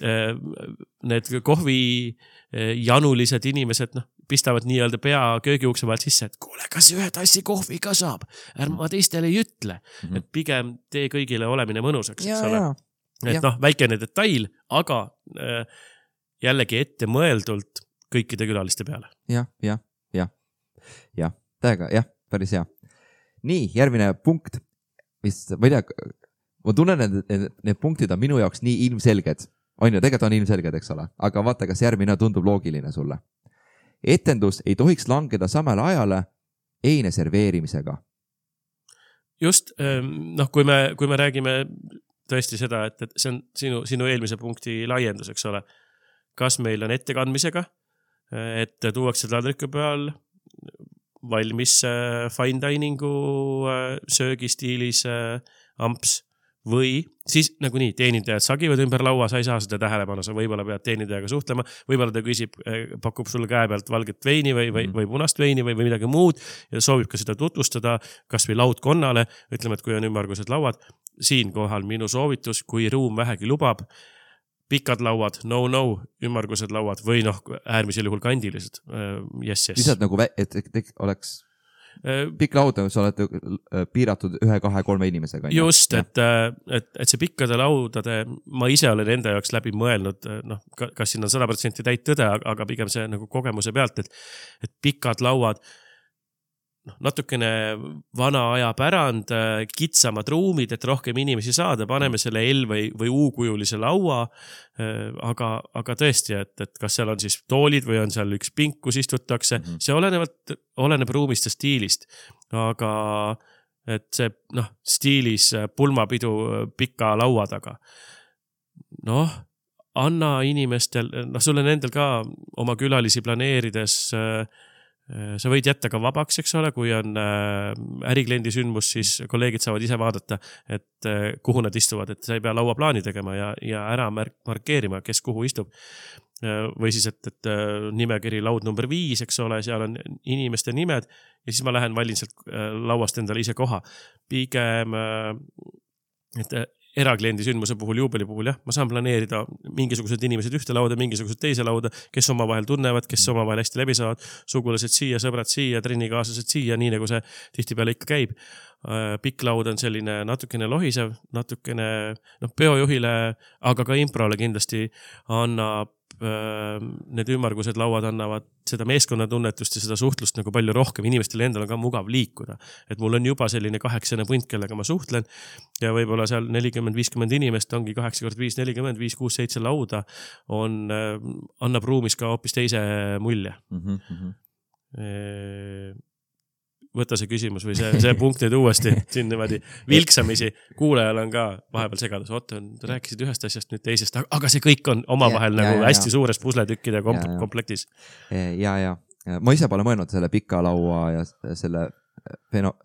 Speaker 2: need kohvi janulised inimesed, noh, pistavad nii-öelda pea köögiukse vahelt sisse, et kuule, kas ühe tassi kohvi ka saab? Ärma teistele ei ütle. Mm-hmm. Et pigem tee kõigile olemine mõnusaks. Ja, ja. Et ja. noh, väikene detail, aga äh, jällegi ette mõeldult kõikide külaliste peale.
Speaker 1: Jah, jah, jah, jah, täiega, jah, päris hea. Nii, järgmine punkt. Mis, ma ei tea, ma tunnen, et need, need punktid on minu jaoks nii ilmselged. On ju, tegelikult on ilmselged, eks ole. Aga vaata, kas järgmine tundub loogiline sulle. Etendus ei tohiks langeda samale ajale eine serveerimisega.
Speaker 2: Just, noh, kui me, kui me räägime tõesti seda, et, et see on sinu, sinu eelmise punkti laiendus, eks ole. Kas meil on ettekandmisega, et tuuakse taldriku peal valmis fine diningu söögistiilis amps või siis nagu nii, teenindajad sagivad ümber laua, sa ei saa seda tähelepanu, sa võib-olla pead teenindajaga suhtlema, võib-olla ta küsib, pakub sulle käe pealt valget veini või, või, või punast veini või, või midagi muud ja soovib ka seda tutvustada kas või laudkonnale, ütleme, et kui on ümmargused lauad, siin kohal minu soovitus, kui ruum vähegi lubab, pikad lauad, no, no, ümmargused lauad või noh, äärmisel juhul kandilised. Yes, yes.
Speaker 1: Lihtsalt nagu, et, et oleks pikk laud, sa oled piiratud ühe, kahe, kolme inimesega.
Speaker 2: Just, et, et, et see pikkade laudade, ma ise olen enda jaoks läbi mõelnud, noh, kas siin on sada protsenti täit tõde, aga pigem see nagu kogemuse pealt, et, et pikad lauad, noh, natukene vana aja pärand, kitsamad ruumid, et rohkem inimesi saada, paneme selle L või, või U-kujulise laua, aga, aga tõesti, et, et kas seal on siis toolid või on seal üks pink, kus istutakse, mm-hmm. see olenevalt, oleneb ruumist ja stiilist, aga et see, noh, stiilis pulmapidu pika laua taga. Noh, anna inimestel, noh, sul on endal ka oma külalisi planeerides sa võid jätta ka vabaks, eks ole, kui on ärikliendi sündmus, siis kolleegid saavad ise vaadata, et kuhu nad istuvad, et sa ei pea lauaplaani tegema ja, ja ära markeerima, kes kuhu istub. Või siis, et, et nimekiri laud number viis, eks ole, seal on inimeste nimed ja siis ma lähen valin sealt lauast endale ise koha. Pigem, et erakliendi sündmuse puhul, juubeli puhul, jah, ma saan planeerida mingisugused inimesed ühte lauda, mingisugused teise lauda, kes oma vahel tunnevad, kes oma vahel hästi läbi saavad, sugulased siia, sõbrad siia, trennikaaslased siia, nii nagu see tihtipeale ikka käib. Pikk laud on selline natukene lohisev, natukene, noh, peojuhile, aga ka improle kindlasti annab, need ümmargused lauad annavad seda meeskonnatunnetust ja seda suhtlust nagu palju rohkem. Inimestele endal on ka mugav liikuda. Et mul on juba selline kaheksane punt, kellega ma suhtlen ja võib-olla seal nelikümmend viiskümmend inimest ongi kaheksa kord viis nelikümmend, viis kuus seitse lauda on, annab ruumis ka hoopis teise mulje. Mm-hmm. E- võta see küsimus või see, see punkt nüüd uuesti siin niimoodi vilksamisi. Kuulajal on ka vahepeal segadus. Oota, rääkisid ühest asjast nüüd teisest, aga see kõik on omavahel ja, nagu ja, hästi ja. Suures pusletükkide komp- ja, ja. komplektis.
Speaker 1: Ja, ja. Ma ise pole mõelnud selle pika laua ja selle,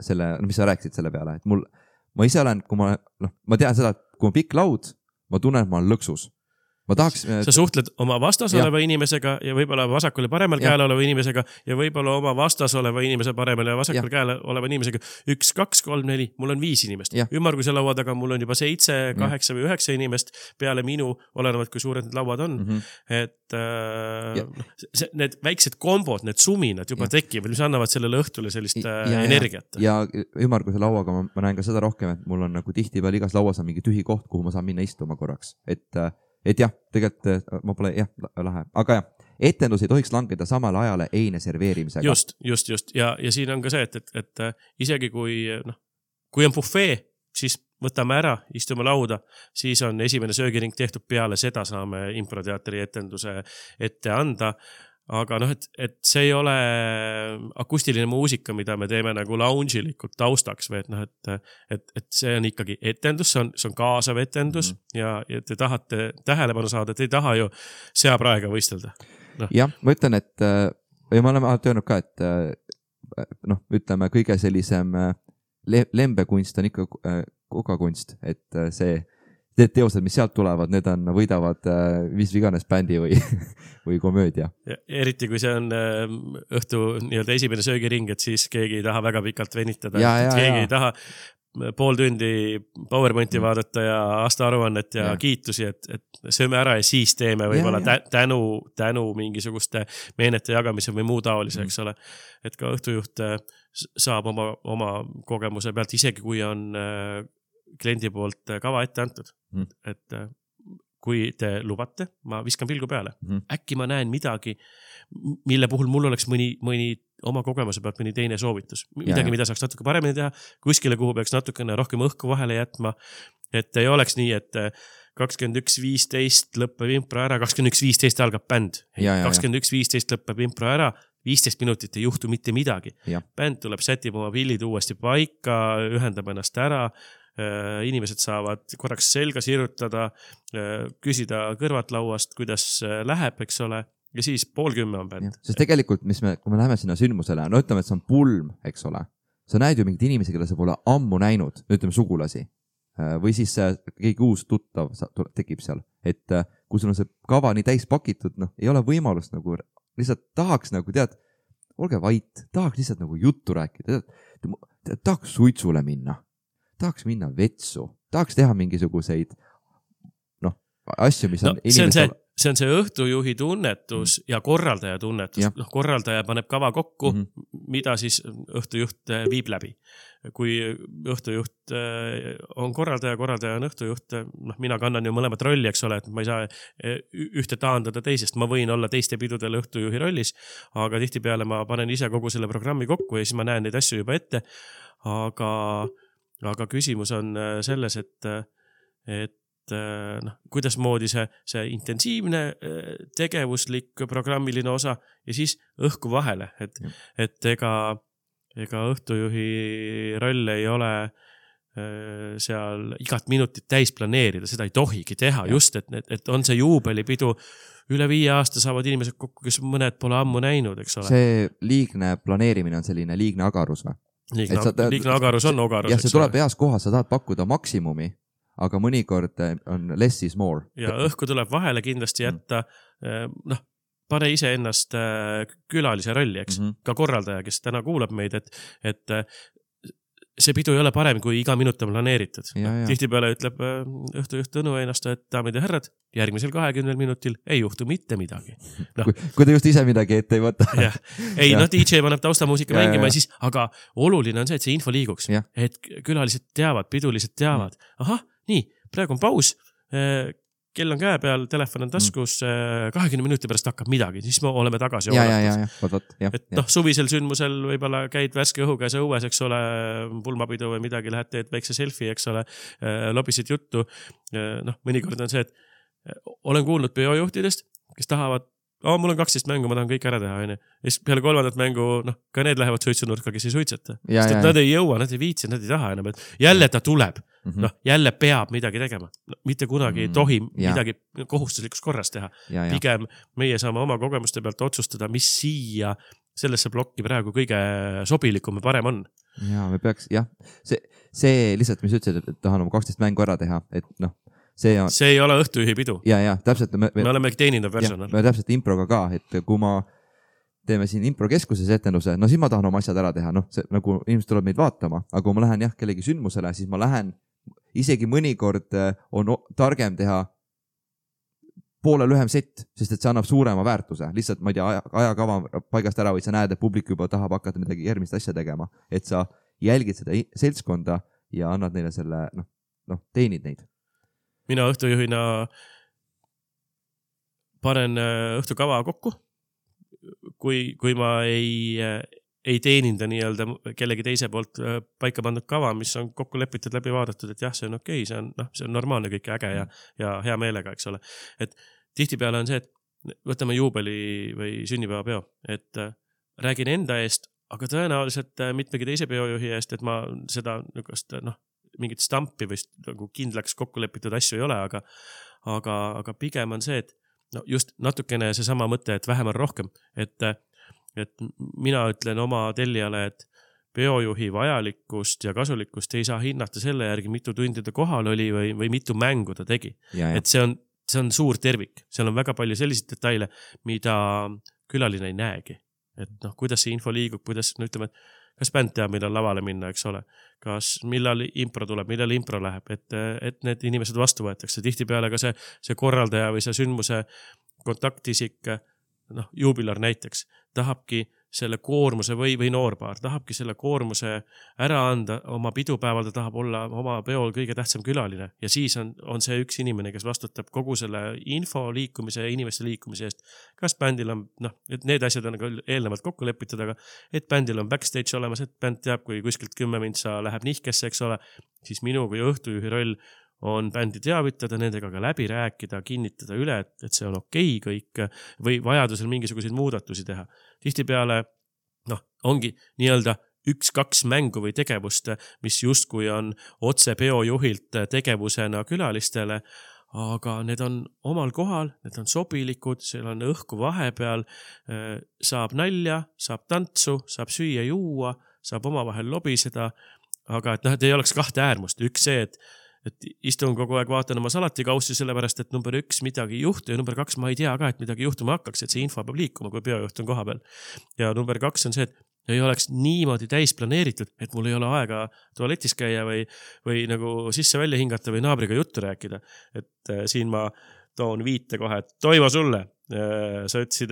Speaker 1: selle, no mis sa rääkisid selle peale, et mul, ma ise olen, kui ma, noh, ma tean seda, et kui on pikk laud, ma tunnen, et ma olen lõksus. Ma tahaks...
Speaker 2: Sa suhtled oma vastas ja. oleva inimesega ja võib-olla vasakul ja paremal ja. käel oleva inimesega ja võib-olla oma vastas oleva inimese paremal ja vasakul ja. käel oleva inimesega. Üks, kaks, kolm, neli, mul on viis inimest. Ümmarguse laua taga mul on juba seitse, kaheksa või üheksa inimest peale minu, olenevad kui suured need lauad on. Mm-hmm. Et äh, see, need väiksed kombod, need suminad juba ja. tekivad, mis annavad sellele õhtule sellist ja, ja, energiat.
Speaker 1: Ja, ja ümmarguse lauaga ma, ma näen ka seda rohkem, et mul on nagu tihti peal igas lauas on mingi tühi koht, kuhu ma saan minna istuma korraks. Et Et jah, tegelikult ma pole, jah, lahe. Aga jah, etendus ei tohiks langeda samale ajale eine serveerimisega.
Speaker 2: Just, just, just. Ja, ja siin on ka see, et, et, et isegi kui, noh, kui on buffet, siis võtame ära, istume lauda, siis on esimene söögiring tehtud peale, seda saame improteatri etenduse ette anda. Aga noh, et, et see ei ole akustiline muusika, mida me teeme nagu lounge'ilikult taustaks, või et noh, et, et, et see on ikkagi etendus, see on, see on kaasav etendus mm-hmm. ja, ja te tahate tähelepanu saada, te ei taha ju seapraega võistelda. No.
Speaker 1: Jah, ma ütlen, et ja ma olen alati öelnud ka, et noh, ütleme, kõige sellisem lembekunst on ikka kogakunst, et see need teosed, mis sealt tulevad, need on, võidavad mis iganes bändi või, või komöödia.
Speaker 2: Eriti kui see on õhtu nii-öelda esimene söögiring, et siis keegi ei taha väga pikalt venitada.
Speaker 1: Ja, ja,
Speaker 2: keegi
Speaker 1: ja.
Speaker 2: ei taha pool tundi PowerPointi mm. vaadata ja aastaaruannet ja, ja kiitusi, et, et sööme ära ja siis teeme võib-olla ja, ja. tänu, tänu mingisuguste meenete jagamise või muu taolise, eks ole. Et ka õhtujuht saab oma, oma kogemuse pealt, isegi kui on kliendi poolt kava ette antud, mm. et kui te lubate, ma viskan pilgu peale. Mm. Äkki ma näen midagi, mille puhul mul oleks mõni, mõni oma kogemuse pealt mõni teine soovitus. Midagi, ja, mida saaks natuke paremini teha, kuskile, kuhu peaks natukene rohkem õhku vahele jätma, et ei oleks nii, et kakskümmend üks viisteist lõppeb impro ära, kakskümmend üks viisteist algab bänd. kakskümmend üks viisteist lõppeb impro ära, viisteist minutit ei juhtu mitte midagi. Ja. Bänd tuleb, sätib oma pillid uuesti paika, ühendab ennast ära, inimesed saavad korraks selga sirutada, küsida kõrvat lauast, kuidas läheb, eks ole, ja siis pool kümme on bänd.
Speaker 1: Sest tegelikult, mis me, kui me läheme sinna sündmusele, no ütleme, et see on pulm, eks ole, sa näed ju mingid inimesi, kelle sa pole ammu näinud, ütleme sugulasi, või siis keegi uus tuttav tekib seal, et kui sul on see kava nii täis pakitud, noh, ei ole võimalust nagu, lihtsalt tahaks nagu, tead, olge vait, tahaks lihtsalt nagu juttu rääkida, tead, tahaks suitsule minna. Tahaks minna vetsu, tahaks teha mingisuguseid noh, asju, mis on
Speaker 2: no, see, on see, see on see õhtujuhi tunnetus mm. ja korraldaja tunnetus. Noh, korraldaja paneb kava kokku, mm -hmm. mida siis õhtujuht viib läbi. Kui õhtujuht on korraldaja, korraldaja on õhtujuht, noh, mina kannan ju mõlemat rolli, eks ole, et ma ei saa ühte taandada teisest. Ma võin olla teiste pidudel õhtujuhi rollis, aga tihtipeale ma panen ise kogu selle programmi kokku ja siis ma näen neid asju juba ette. Aga Aga küsimus on selles, et, et noh, kuidas moodi see, see intensiivne tegevuslik programmiline osa ja siis õhku vahele, et, et ega, ega õhtujuhi roll ei ole seal igat minutit täis planeerida, seda ei tohigi teha, just, et, et on see juubelipidu, üle viie aasta saavad inimesed kokku, kes mõned pole ammu näinud, eks ole.
Speaker 1: See liigne planeerimine on selline liigne agarus või?
Speaker 2: Liigne, ta, liigne agarus on ogarus.
Speaker 1: Ja see tuleb heas kohas, sa tahad pakkuda maksimumi, aga mõnikord on less is more.
Speaker 2: Ja õhku tuleb vahele kindlasti jätta, noh, pane ise ennast külalise rolli, eks, mm -hmm. ka korraldaja, kes täna kuulab meid, et, et see pidu ei ole parem, kui iga minut on planeeritud. Tihtipeale ütleb õhtujuht Tõnu ennast, et daamid ja härrad, järgmisel kahekümnel minutil ei juhtu mitte midagi.
Speaker 1: No. Kui, kui ta just ise midagi ette ei võta.
Speaker 2: Ja. Ei, ja. no D J paneb taustamuusika ja, mängima ja, ja siis, aga oluline on see, et see info liiguks. Ja. Et külalised teavad, pidulised teavad. Ahah, nii, praegu on paus, kell on käe peal, telefon on taskus, kahekümne minuti pärast hakkab midagi, siis me oleme tagasi.
Speaker 1: Ja, ja, ja, ja, võt, võt, ja,
Speaker 2: et noh, suvisel sündmusel võibolla käid värske õhuga ja õues, eks ole, pulmapidu või midagi, lähed teed väikse selfie, eks ole, lobisid juttu. Noh, mõnikord on see, et olen kuulnud peojuhtidest, kes tahavad, oh, mul on kaksteist mängu, ma tahan kõik ära teha, ja siis peale kolmandat mängu, noh, ka need lähevad suitsunurka, kes ei suitseta. Sest et nad ei jõua, nad ei viitsi, nad ei taha enam, et jälle ta tuleb. Mm -hmm. Noh, jälle peab midagi tegema. No, mitte kunagi ei tohi ja. midagi kohustuslikus korras teha. Ja, ja. Pigem meie saame oma kogemuste pealt otsustada, mis siia sellesse plokki praegu kõige sobilikum ja parem on.
Speaker 1: Ja, me peaks, jah, see, see lihtsalt, mis ütlesid, et tahan oma kaksteist mängu ära teha, et noh, see on...
Speaker 2: See ei ole õhtujuhi pidu.
Speaker 1: Ja, ja, täpselt.
Speaker 2: Me, me, me oleme teenindav personal.
Speaker 1: Me täpselt improga ka, et kui ma teeme siin improkeskuses etenduse, no siis ma tahan oma asjad ära teha, noh, see, nagu inimesed tuleb meid vaatama, aga kui ma lähen jah, kellegi sündmusele, siis ma lähen isegi mõnikord on targem teha poole lühem sett, sest et see annab suurema väärtuse. Lihtsalt, ma ei tea, ajakava paigast ära või sa näed, et publik juba tahab hakata midagi järgmist asja tegema. Et sa jälgid seda seltskonda ja annad neile selle, noh, noh teenid neid.
Speaker 2: Mina õhtujuhina panen õhtukava kokku, kui, kui ma ei... ei teeninda nii-öelda kellegi teise poolt paika pandud kava, mis on kokku lepitud, läbi vaadatud, et jah, see on okei, see on, noh, see on normaalne kõik äge ja, ja hea meelega, eks ole. Et tihtipeale on see, et võtame juubeli või sünnipäevapeo, et räägin enda eest, aga tõenäoliselt mitmegi teise peojuhi eest, et ma seda noh, mingit stampi või nagu kindlaks kokku lepitud asju ei ole, aga, aga, aga pigem on see, et no just natukene see sama mõte, et vähem on rohkem, et et mina ütlen oma tellijale, et peojuhi vajalikkust ja kasulikkust ei saa hinnata selle järgi, mitu tundi ta kohal oli või, või mitu mängu ta tegi. Ja, ja. Et see on, see on suur tervik. Seal on väga palju selliseid detaile, mida külaline ei näegi. Et noh, kuidas see info liigub, kuidas, no ütleme, et kas bänd teab, millal lavale minna, eks ole. Kas millal impro tuleb, millal impro läheb, et, et need inimesed vastu võetakse. Tihtipeale ka see, see korraldaja või see sündmuse kontaktisik, noh, juubilar näiteks, tahabki selle koormuse või, või noorpaar, tahabki selle koormuse ära anda oma pidupäeval, ta tahab olla oma peol kõige tähtsam külaline ja siis on, on see üks inimene, kes vastutab kogu selle info liikumise ja inimeste liikumise eest. Kas bändil on, noh, et need asjad on eelnevalt kokku lepitud, aga et bändil on backstage olemas, et bänd teab, kui kuskilt kümme mintsa läheb nihkesse, eks ole, siis minu kui õhtujuhi roll on bändi teavitada, nendega ka läbi rääkida, kinnitada üle, et, et see on okei kõik või vajadusel mingisuguseid muudatusi teha. Tihtipeale, noh, ongi nii-öelda üks-kaks mängu või tegevust, mis justkui on otse peojuhilt tegevusena külalistele, aga need on omal kohal, need on sobilikud, seal on õhku vahepeal, saab nalja, saab tantsu, saab süüa juua, saab omavahel lobiseda, aga et noh, et ei oleks kahte äärmust. Üks see, et et istun kogu aeg vaatan oma salatikaussi sellepärast, et number üks midagi juhtu ja number kaks ma ei tea ka, et midagi juhtuma hakkaks, et see info peab liikuma, kui peojuht on koha peal. Ja number kaks on see, et ei oleks niimoodi täis planeeritud, et mul ei ole aega tualetis käia või, või nagu sisse välja hingata või naabriga juttu rääkida. Et äh, siin ma toon viite kohe, et toivo sulle. Sa ütlesid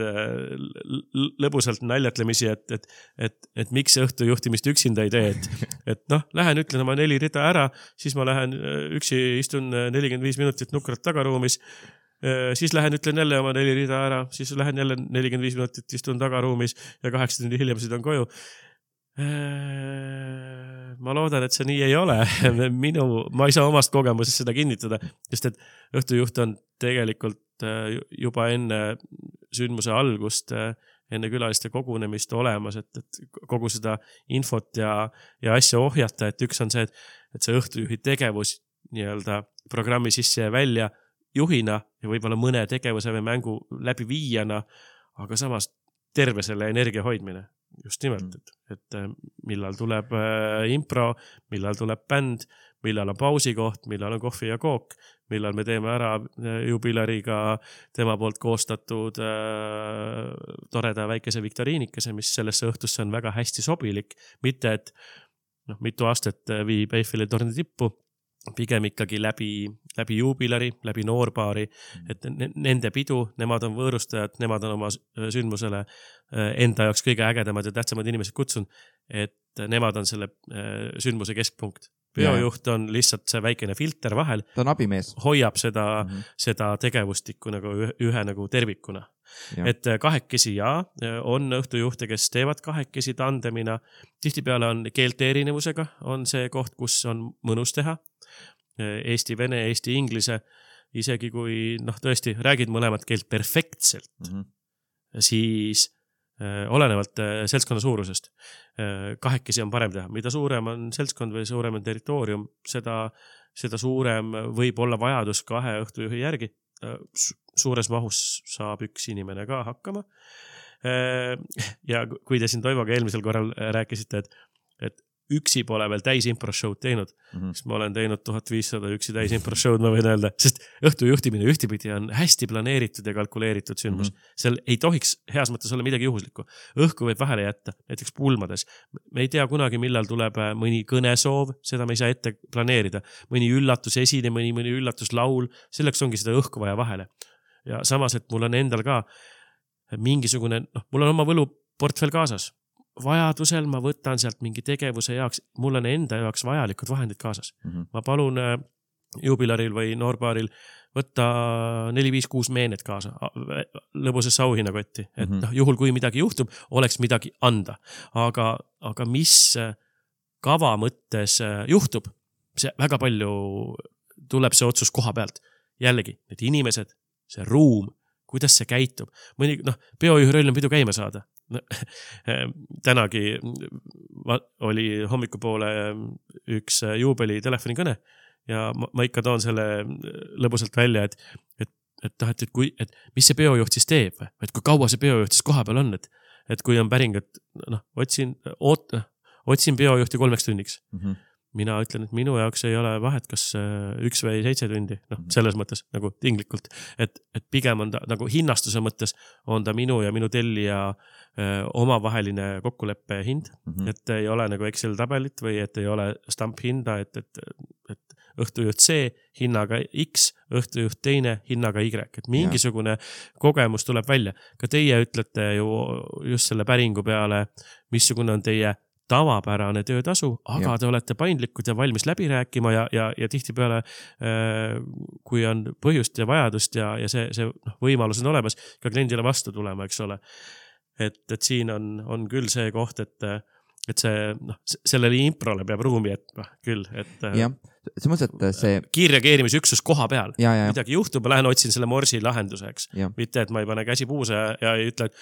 Speaker 2: lõbusalt naljatlemisi, et, et, et, et miks õhtu juhtimist üksinda ei tee, et, et noh, lähen ütlen oma neli rida ära, siis ma lähen üksi istun nelikümmend viis minutit nukrat tagaruumis, siis lähen ütlen jälle oma neli rida ära, siis lähen jälle nelikümmend viis minutit istun tagaruumis ja kaheksa tundi hiljem sõidan koju. Ma loodan, et see nii ei ole. Minu, ma ei saa omast kogemusest seda kinnitada, sest et õhtujuht on tegelikult juba enne sündmuse algust, enne külaliste kogunemist olemas, et, et kogu seda infot ja, ja asja ohjata, et üks on see, et, et see õhtujuhi tegevus nii-öelda programmi sisse ja välja juhina ja võib-olla mõne tegevuse või mängu läbi viijana, aga samas terve selle energia hoidmine. Just nimelt, et, et millal tuleb impro, millal tuleb bänd, millal on pausikoht, millal on kohvi ja kook, millal me teeme ära jubilariga tema poolt koostatud äh, toreda väikese viktoriinikese, mis sellesse õhtusse on väga hästi sobilik. Mitte, et noh, mitu aastat viib Eiffeli torni tippu, pigem ikkagi läbi, läbi juubilari, läbi noorpaari, et nende pidu, nemad on võõrustajad, nemad on oma sündmusele enda jaoks kõige ägedamad ja tähtsamad inimesed kutsun, et nemad on selle sündmuse keskpunkt. Peojuht on lihtsalt see väikene filter vahel.
Speaker 1: Ta on abimees.
Speaker 2: Hoiab seda, mm-hmm. seda tegevustikku nagu ühe, ühe nagu tervikuna. Ja. Et kahekesi ja on õhtujuhte, kes teevad kahekesi tandemina. Tihtipeale on keelte erinevusega, on see koht, kus on mõnus teha. Eesti, vene, Eesti, inglise, isegi kui noh, tõesti räägid mõlemat keelt perfektselt, mm-hmm. siis äh, olenevalt äh, seltskonna suurusest äh, kahekesi on parem teha. Mida suurem on seltskond või suurem on territoorium, seda, seda suurem võib olla vajadus kahe õhtujuhi järgi. Äh, suures mahus saab üks inimene ka hakkama. Äh, ja kui te siin Toivoga eelmisel korral rääkisite, et, et üksi pole veel täis impro-show'd teinud, mm-hmm. siis ma olen teinud tuhat viissada üksi täis impro-show'd, ma võin öelda, sest õhtu juhtimine ühtipidi on hästi planeeritud ja kalkuleeritud sündmus. Mm-hmm. Seal ei tohiks heas mõttes olla midagi juhuslikku. Õhku võib vahele jätta, näiteks pulmades. Me ei tea kunagi, millal tuleb mõni kõnesoov, seda me ei saa ette planeerida. Mõni üllatus esine, mõni, mõni üllatus laul, selleks ongi seda õhku vaja vahele. Ja samas, et mul on endal ka mingisugune, noh, mul on oma võluportfel kaasas. Vajadusel ma võtan sealt mingi tegevuse jaoks, mul on enda jaoks vajalikud vahendid kaasas. Mm-hmm. Ma palun äh, jubilaril või noorpaaril võtta neli viis kuus meenet kaasa, lõbusesse auhinnakotti, et mm-hmm. noh, juhul kui midagi juhtub, oleks midagi anda. Aga, aga mis kava mõttes juhtub, see väga palju tuleb see otsus koha pealt. Jällegi, need inimesed, see ruum, kuidas see käitub. Mõni, noh, peojuhi roll on pidu käima saada. No, tänagi oli hommikupoole üks juubeli telefonikõne ja ma, ma ikka toon selle lõbusalt välja, et, et, et, et, et, kui, et mis see peojuht siis teeb, et kui kaua see peojuht siis koha peal on, et, et kui on päring, et noh, otsin, oot, otsin peojuhti kolmeks tunniks.
Speaker 1: Mm -hmm.
Speaker 2: Mina ütlen, et minu jaoks ei ole vahet, kas üks või seitse tundi, noh, selles mõttes nagu tinglikult, et, et pigem on ta nagu hinnastuse mõttes on ta minu ja minu tellija öö, omavaheline kokkuleppe hind, mm -hmm. et ei ole nagu Excel tabelit või et ei ole stamp hinda, et, et, et õhtujuht C hinnaga X, õhtujuht teine hinnaga Y, et mingisugune ja. kogemus tuleb välja. Ka teie ütlete ju just selle päringu peale, missugune on teie tavapärane töötasu, aga ja. te olete paindlikud ja valmis läbi rääkima ja, ja, ja tihtipeale, kui on põhjust ja vajadust ja, ja see, see noh, võimalus on olemas, ka kliendile vastu tulema, eks ole. Et, et siin on, on küll see koht, et, et see, noh, sellele improle peab ruumi, et noh, küll, et
Speaker 1: jah, see mõttes, et see
Speaker 2: kiirreageerimisüksus koha peal,
Speaker 1: ja, ja.
Speaker 2: midagi juhtub, ma lähen otsin selle morsi lahenduseks, mitte, et ma ei pane käsi puuse ja, ja ei ütle, et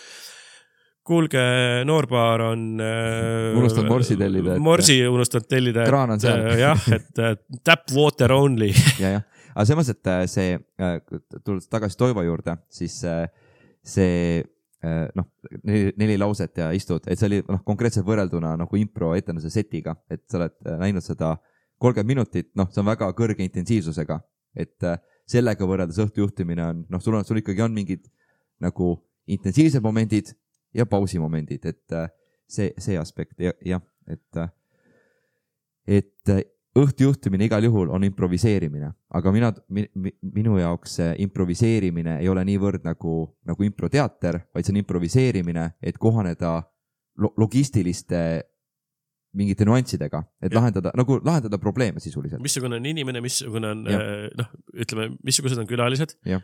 Speaker 2: kuulge, Noorbaar on äh,
Speaker 1: unustanud morsi tellida. Et,
Speaker 2: morsi unustanud tellida.
Speaker 1: Kraan on seal.
Speaker 2: Et, jah, et tap water only.
Speaker 1: ja, jah. Aga see mõttes, et see, tulles tagasi Toivo juurde, siis see, noh, neli, neli lauset ja istud, et see oli noh, konkreetselt võrrelduna nagu impro etenduse setiga, et sa oled näinud seda kolmkümmend minutit, noh, see on väga kõrge intensiivsusega, et sellega võrreldes õhtujuhtimine on, noh, sul on, sul ikkagi on mingid nagu intensiivsed momendid ja pausimomendid, et see, see aspekt, jah, ja, et, et õhtujuhtimine igal juhul on improviseerimine, aga mina, minu jaoks improviseerimine ei ole niivõrd nagu, nagu improteater, vaid see on improviseerimine, et kohaneda logistiliste mingite nüanssidega, et ja. lahendada, nagu lahendada probleeme sisuliselt.
Speaker 2: Missugune on inimene, missugune on, noh, ütleme, missugused on külalised,
Speaker 1: ja.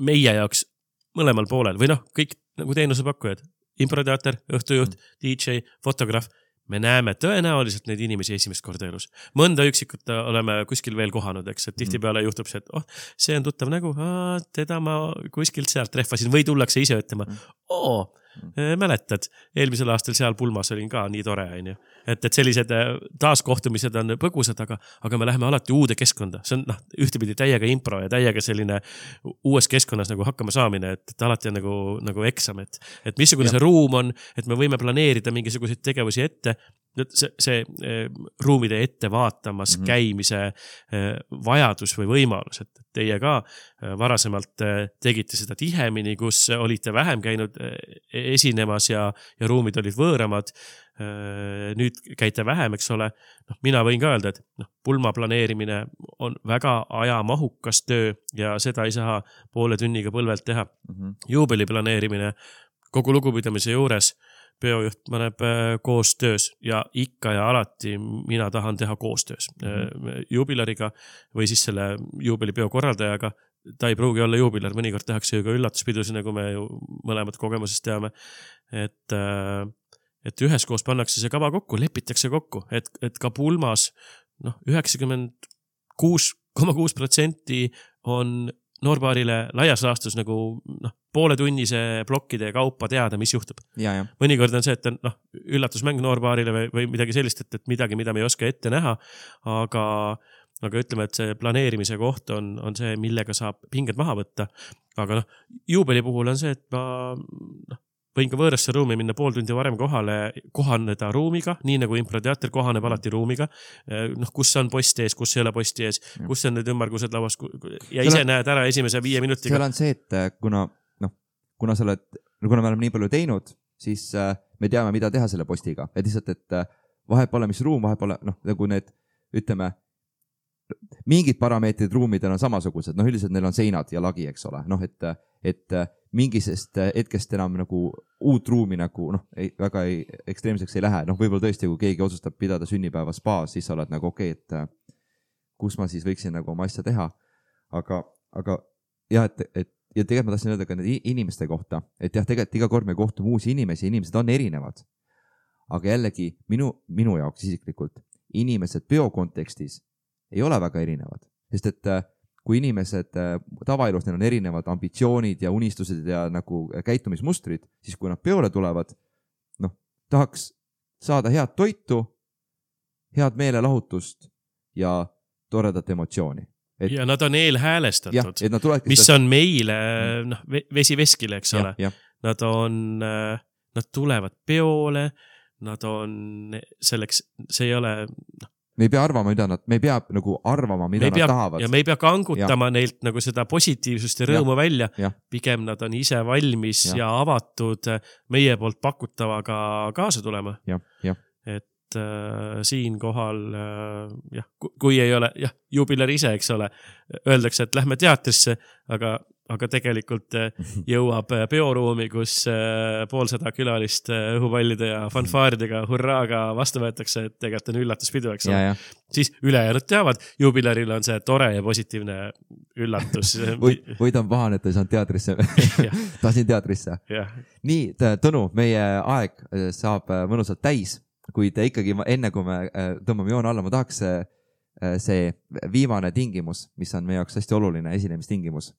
Speaker 2: meie jaoks mõlemal poolel või noh, kõik nagu teenusepakkujad, improteater, õhtujuht, D J, fotograaf, me näeme tõenäoliselt neid inimesi esimest korda elus. Mõnda üksikut oleme kuskil veel kohanud, eks, et tihtipeale juhtub see, et oh, see on tuttav nägu, Aa, teda ma kuskilt sealt trehvasin või tullakse ise ütlema, oo, mäletad, eelmisel aastal seal pulmas olin ka nii tore, on ju. Et, et sellised taaskohtumised on põgusad, aga, aga me läheme alati uude keskkonda. See on noh, ühtepidi täiega impro ja täiega selline uues keskkonnas nagu hakkama saamine, et, et alati on nagu, nagu eksam, et, et missugune ja. see ruum on, et me võime planeerida mingisuguseid tegevusi ette, see, see ruumide ette vaatamas mm -hmm. käimise vajadus või võimalus, et teie ka varasemalt tegite seda tihemini, kus olite vähem käinud esinemas ja, ja ruumid olid võõramad. Nüüd käite vähem, eks ole. No, mina võin ka öelda, et no, pulma planeerimine on väga ajamahukas töö ja seda ei saa poole tunniga põlvelt teha. Mm -hmm. Juubeli planeerimine kogu lugupidamise juures peojuht paneb koostöös ja ikka ja alati mina tahan teha koostöös mm-hmm. juubilariga või siis selle juubelipeo korraldajaga. Ta ei pruugi olla juubilar, mõnikord tehakse ju ka üllatuspidusi, nagu me ju mõlemad kogemusest teame. Et, et üheskoos pannakse see kava kokku, lepitakse kokku, et, et ka pulmas noh, üheksakümmend kuus koma kuus protsenti on Noorbaarile laias laastus nagu noh, poole tunnise plokkide kaupa teada, mis juhtub.
Speaker 1: Ja, ja.
Speaker 2: Mõnikord on see, et on noh, üllatusmäng Noorbaarile või, või midagi sellist, et, et midagi, mida me ei oska ette näha, aga, aga ütleme, et see planeerimise koht on, on see, millega saab pinged maha võtta. Aga noh, juubeli puhul on see, et ma noh, võin ka võõrasse ruumi minna pool tundi varem kohale, kohaneda ruumiga, nii nagu improteater kohaneb alati ruumiga, noh, kus on post ees, kus ei ole posti ees, ja. kus on need ümmargused lauas ja ise on, näed ära esimese viie minutiga.
Speaker 1: Seal on see, et kuna, noh, kuna sa oled, kuna me oleme nii palju teinud, siis me teame, mida teha selle postiga, et lihtsalt, et vahet pole, mis ruum, vahet pole, noh, nagu need, ütleme, mingid parameetrid ruumidel on samasugused, noh, üldiselt neil on seinad ja lagi, eks ole, noh, et, et mingisest hetkest enam nagu uut ruumi nagu, noh, ei, väga ei, ekstreemseks ei lähe, noh, võib-olla tõesti, kui keegi otsustab pidada sünnipäeva spaas, siis sa oled nagu okei, okay, et kus ma siis võiksin nagu oma asja teha, aga, aga jah, et, et ja tegelikult ma tahtsin öelda ka need inimeste kohta, et jah, tegelikult iga kord me kohtume uusi inimesi, inimesed on erinevad, aga jällegi minu, minu jaoks isiklikult inimesed peo kontekstis ei ole väga erinevad, sest et kui inimesed tavaelus, neil on erinevad ambitsioonid ja unistused ja nagu käitumismustrid, siis kui nad peole tulevad, noh, tahaks saada head toitu, head meelelahutust ja toredat emotsiooni. Et,
Speaker 2: ja nad on eelhäälestatud,
Speaker 1: jah, et nad tuleksid,
Speaker 2: mis on meile noh, vesi veskile, eks
Speaker 1: ja,
Speaker 2: ole.
Speaker 1: Ja.
Speaker 2: Nad on, nad tulevad peole, nad on selleks, see ei ole... No,
Speaker 1: me ei pea arvama, mida nad, me ei pea nagu arvama, mida nad
Speaker 2: pea,
Speaker 1: tahavad.
Speaker 2: Ja me ei pea kangutama ja. Neilt nagu seda positiivsust ja rõõmu ja. Välja. Ja. Pigem nad on ise valmis ja, ja avatud meie poolt pakutavaga kaasa tulema.
Speaker 1: Ja. Ja.
Speaker 2: Et äh, siin kohal, äh, jah, kui ei ole, jah, jubilar ise, eks ole, öeldakse, et lähme teatrisse, aga aga tegelikult jõuab peoruumi, kus poolsada külalist õhupallide ja fanfaaridega hurraaga vastu võetakse, et tegelikult on üllatuspidu, eks ole. Siis ülejäänud teavad, jubilaril on see tore ja positiivne üllatus.
Speaker 1: või, või ta on pahane, et ta ei saanud teatrisse. Tahtsin teatrisse.
Speaker 2: Ja.
Speaker 1: Nii, Tõnu, meie aeg saab mõnusalt täis, kuid ikkagi enne, kui me tõmbame joone alla, ma tahaks see viimane tingimus, mis on meie jaoks hästi oluline esinemistingimus.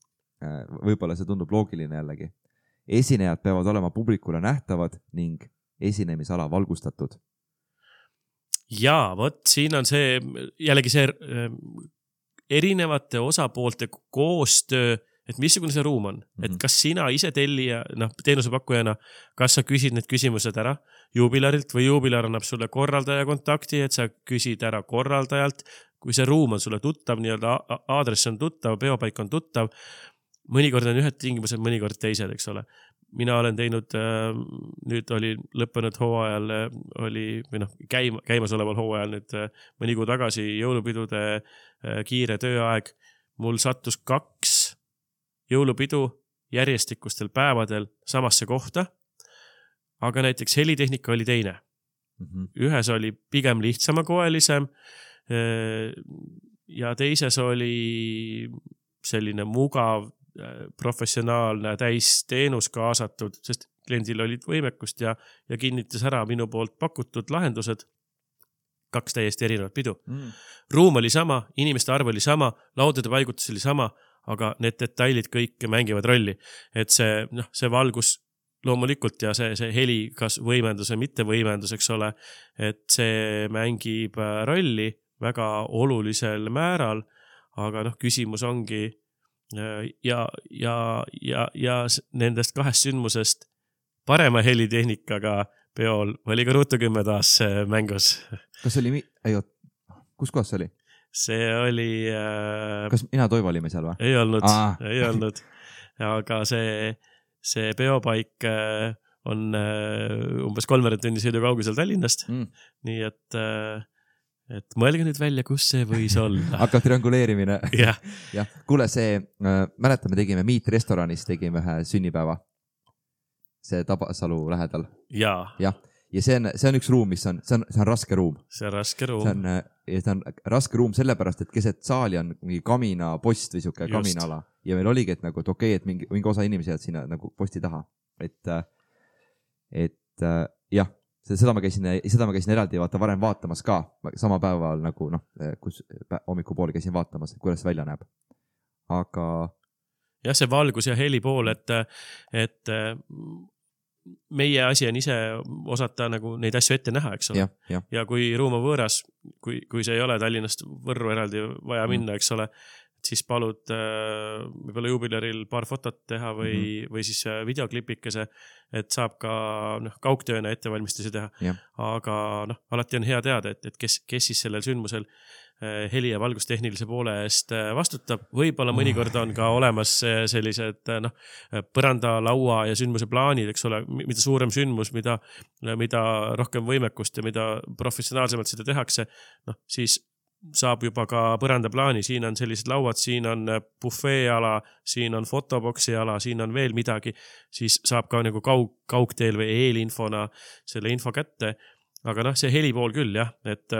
Speaker 1: Võib-olla see tundub loogiline jällegi. Esinejad peavad olema publikule nähtavad ning esinemisala valgustatud.
Speaker 2: Jaa, võt, siin on see, jällegi see erinevate osapoolte koostöö, et missugune see ruum on. Mm-hmm. Et kas sina ise tellija, noh, teenusepakkujana, kas sa küsid need küsimused ära jubilarilt või jubilar annab sulle korraldaja kontakti, et sa küsid ära korraldajalt. Kui see ruum on sulle tuttav, nii-öelda aadress on tuttav, peopaik on tuttav, mõnikord on ühed tingimused, mõnikord teised, eks ole. Mina olen teinud, nüüd oli lõppenud hooajal, oli, või noh, käima, käimas oleval hooajal nüüd mõni kuu tagasi jõulupidude kiire tööaeg. Mul sattus kaks jõulupidu järjestikustel päevadel samasse kohta, aga näiteks helitehnika oli teine. Mm-hmm. Ühes oli pigem lihtsamakoelisem ja teises oli selline mugav professionaalne täisteenus kaasatud, sest kliendil olid võimekust ja, ja kinnitas ära minu poolt pakutud lahendused. Kaks täiesti erinevat pidu. Mm. Ruum oli sama, inimeste arv oli sama, laudade paigutus oli sama, aga need detailid kõik mängivad rolli. Et see, noh, see valgus loomulikult ja see, see heli, kas võimendus või mitte võimendus, eks ole, et see mängib rolli väga olulisel määral, aga noh, küsimus ongi ja, ja, ja, ja nendest kahest sündmusest parema helitehnikaga peol oli ka Ruutu kümme taas mängus.
Speaker 1: Kas oli, ei oot, kus kohas see oli?
Speaker 2: See oli... Äh,
Speaker 1: Kas mina Toivo olime seal või?
Speaker 2: Ei olnud, Aa. ei olnud. Aga see, see peopaik on umbes kolmveerand tunni sõidu kaugusel Tallinnast. Mm. Nii et... Et mõelge nüüd välja, kus see võis olla.
Speaker 1: Hakkab trianguleerimine.
Speaker 2: Yeah.
Speaker 1: Ja. Kuule, see, äh, mäletame, tegime Meet restoranis, tegime ühe sünnipäeva. See Tabasalu lähedal.
Speaker 2: Jaa.
Speaker 1: Ja, ja see, on, see on üks ruum, mis on, see on, see on raske ruum.
Speaker 2: See on raske ruum.
Speaker 1: See on, see on raske ruum sellepärast, et keset saali on mingi kamina post või siuke kaminaala. Ja meil oligi, et, nagu, et okei, et mingi, mingi osa inimesi jääd sinna nagu posti taha. Et, et jah. Seda ma käisin, seda ma käisin eraldi vaata varem vaatamas ka, sama päeval nagu, noh, kus hommikupooli käisin vaatamas, kuidas välja näeb. Aga...
Speaker 2: jah, see valgus ja heli pool, et, et meie asi on ise osata nagu neid asju ette näha, eks ole.
Speaker 1: Ja, ja.
Speaker 2: ja kui ruum on võõras, kui, kui see ei ole Tallinnast Võrru eraldi vaja minna, eks ole, siis palud äh, võib-olla jubilaril paar fotot teha või, mm-hmm. või siis videoklipikese, et saab ka noh, kaugtööna ettevalmistusi teha.
Speaker 1: Ja.
Speaker 2: Aga noh, alati on hea teada, et, et kes, kes siis sellel sündmusel äh, heli- ja valgustehnilise poole eest äh, vastutab. Võib-olla mõnikord on ka olemas äh, sellised äh, noh, põranda, laua ja sündmuse plaanid, eks ole, mida suurem sündmus, mida, mida rohkem võimekust ja mida professionaalsemalt seda tehakse, noh, siis saab juba ka põrandaplaani, siin on sellised lauad, siin on bufeeala, siin on fotoboksi ala, siin on veel midagi, siis saab ka nagu kaug, kaugteel või eelinfona selle info kätte. Aga noh, see heli pool küll, jah, et,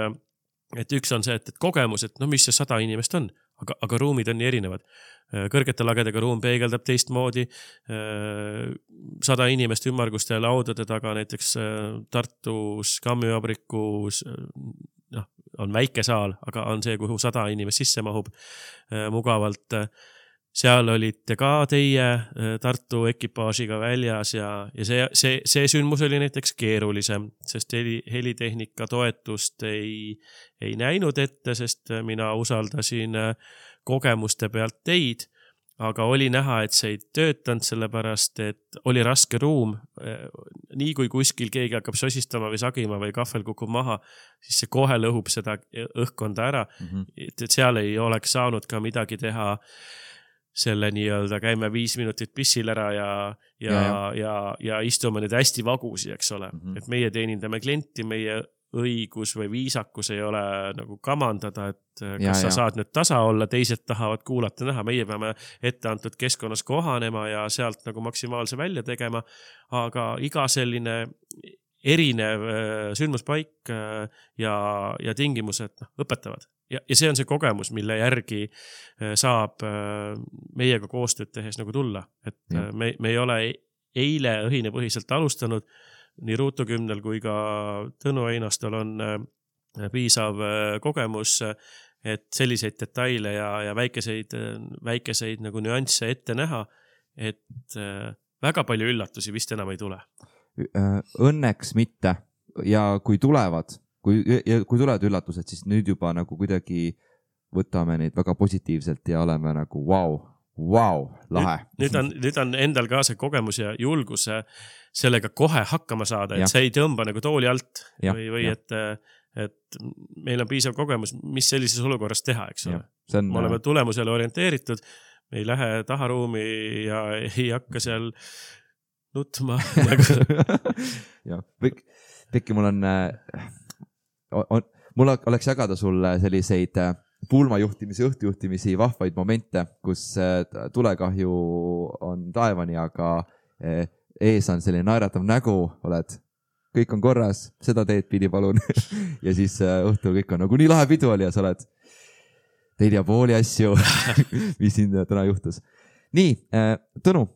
Speaker 2: et üks on see, et, et kogemus, et no mis see sada inimest on, aga, aga ruumid on nii erinevad. Kõrgete lagedega ruum peegeldab teistmoodi, sada inimest ümmarguste laudade taga, näiteks Tartus, Kammivabrikus, noh, on väike saal, aga on see, kuhu sada inimest sisse mahub äh, mugavalt. Seal olite ka teie äh, Tartu ekipaažiga väljas ja, ja see, see, see sündmus oli näiteks keerulisem, sest heli, helitehnika toetust ei, ei näinud ette, sest mina usaldasin äh, kogemuste pealt teid, aga oli näha, et see ei töötanud sellepärast, et oli raske ruum. Nii kui kuskil keegi hakkab sosistama või sagima või kahvel kukub maha, siis see kohe lõhub seda õhkkonda ära. Mm-hmm. Et seal ei oleks saanud ka midagi teha selle nii-öelda käime viis minutit pissil ära ja, ja, ja, ja, ja istume nüüd hästi vagusi, eks ole. Mm-hmm. Et meie teenindame klienti, meie õigus või viisakus ei ole nagu kamandada, et kas ja, sa ja. saad nüüd tasa olla, teised tahavad kuulata näha, meie peame ette antud keskkonnas kohanema ja sealt nagu maksimaalse välja tegema, aga iga selline erinev sündmuspaik ja, ja tingimused no, õpetavad. Ja, ja see on see kogemus, mille järgi saab meiega koostööd tehes nagu tulla. Et ja. me, me ei ole eile õhinepõhiselt alustanud, nii Ruutu kümnel kui ka Tõnu Einastal on piisav kogemus, et selliseid detaile ja, ja väikeseid, väikeseid nagu nüansse ette näha, et väga palju üllatusi vist enam ei tule.
Speaker 1: Õnneks mitte ja kui tulevad, kui, ja kui tulevad üllatused, siis nüüd juba nagu kuidagi võtame neid väga positiivselt ja oleme nagu vau, vau, lahe.
Speaker 2: Nüüd, nüüd, on, nüüd on endal ka see kogemus ja julgus sellega kohe hakkama saada, et ja. see ei tõmba nagu tooli alt ja, või, või et, et meil on piisav kogemus, mis sellises olukorras teha, eks ole. On, me oleme tulemusele orienteeritud, me ei lähe taharuumi ja ei hakka seal nutma.
Speaker 1: ja, Pekki, mul on, on, mul oleks jagada sulle selliseid pulmajuhtimisi, õhtujuhtimisi, vahvaid momente, kus tulekahju on taevani, aga ees on selline naeratav nägu, oled, kõik on korras, seda teed pidi palun. ja siis õhtul kõik on nagu nii lahe pidu oli ja sa oled teil ja pooli asju, mis siin täna juhtus. Nii, Tõnu,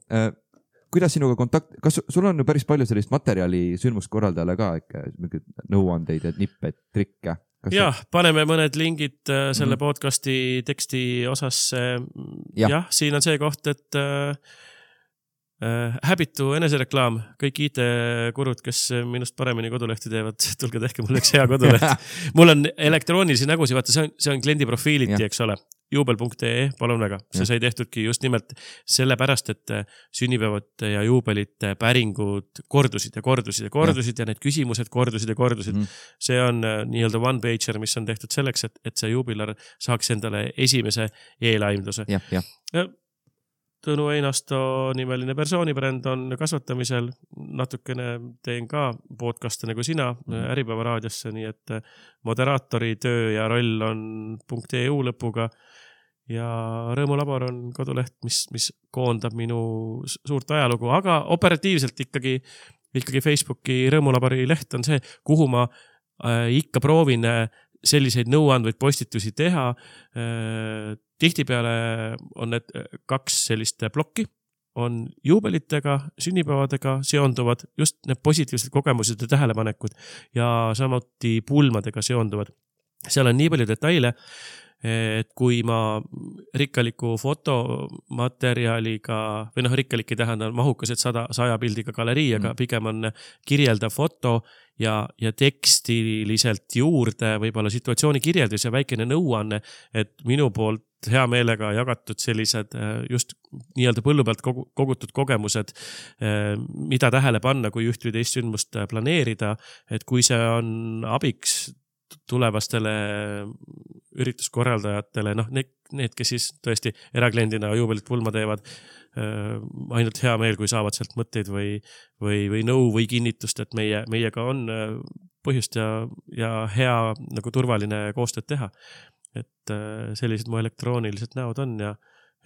Speaker 1: kuidas sinuga kontakt, kas sul on ju päris palju sellist materjali sündmuskorraldajale ka, nõuandeid, nippe, trikke?
Speaker 2: Jah, paneme mõned lingid selle mm-hmm. podcasti teksti osasse. Ja. Jah, siin on see koht, et häbitu enesereklaam, kõik I T-kurud, kes minust paremini kodulehti teevad, tulge tehke mulle üks hea koduleht. Mul on elektroonilisi nägusi, vaata, see on, see on kliendi profiiliti, eks ole. juubel punkt ee, palun väga. See sai tehtudki just nimelt sellepärast, et sünnipäevad ja juubelite päringud kordusid ja kordusid ja kordusid ja, ja need küsimused kordusid ja kordusid. Mm. See on nii-öelda one-pager, mis on tehtud selleks, et, et see juubilar saaks endale esimese eelaimduse.
Speaker 1: Ja, ja. ja
Speaker 2: Tõnu Einasto nimeline persoonibränd on kasvatamisel. Natukene teen ka podcast'e nagu sina mm-hmm. Äripäeva raadiosse, nii et moderaatori töö ja roll on .eu lõpuga ja Rõõmulabor on koduleht, mis, mis koondab minu suurt ajalugu, aga operatiivselt ikkagi, ikkagi Facebooki Rõõmulabori leht on see, kuhu ma äh, ikka proovin selliseid nõuandvaid postitusi teha. Tihtipeale on need kaks sellist plokki, on juubelitega, sünnipäevadega seonduvad just need positiivsed kogemused ja tähelepanekud ja samuti pulmadega seonduvad. Seal on nii palju detaile, et kui ma rikkaliku fotomaterjaliga, või noh, rikkalik ei tähenda mahukas, et sada, saja pildiga galerii, aga mm. pigem on kirjeldav foto ja, ja tekstiliselt juurde võib-olla situatsiooni kirjeldus ja väikene nõuanne, et minu poolt hea meelega jagatud sellised just nii-öelda põllu pealt kogutud kogemused, mida tähele panna, kui üht või teist sündmust planeerida, et kui see on abiks tulevastele ürituskorraldajatele, noh, need, need, kes siis tõesti erakliendina juubelit pulma teevad, äh, ainult hea meel, kui saavad sealt mõtteid või, või, või nõu või kinnitust, et meie, meiega on põhjust ja, ja hea nagu turvaline koostööd teha. Et äh, sellised mu elektroonilised näod on ja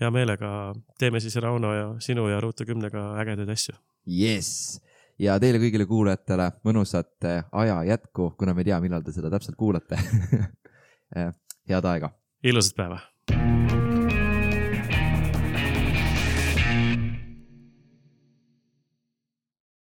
Speaker 2: hea meelega teeme siis Rauno ja sinu ja Ruutu kümnega ägedaid asju.
Speaker 1: Yes! Ja teile kõigile kuulajatele mõnusat aja jätku, kuna me ei tea, millal te seda täpselt kuulate. Head aega.
Speaker 2: Ilusat päeva.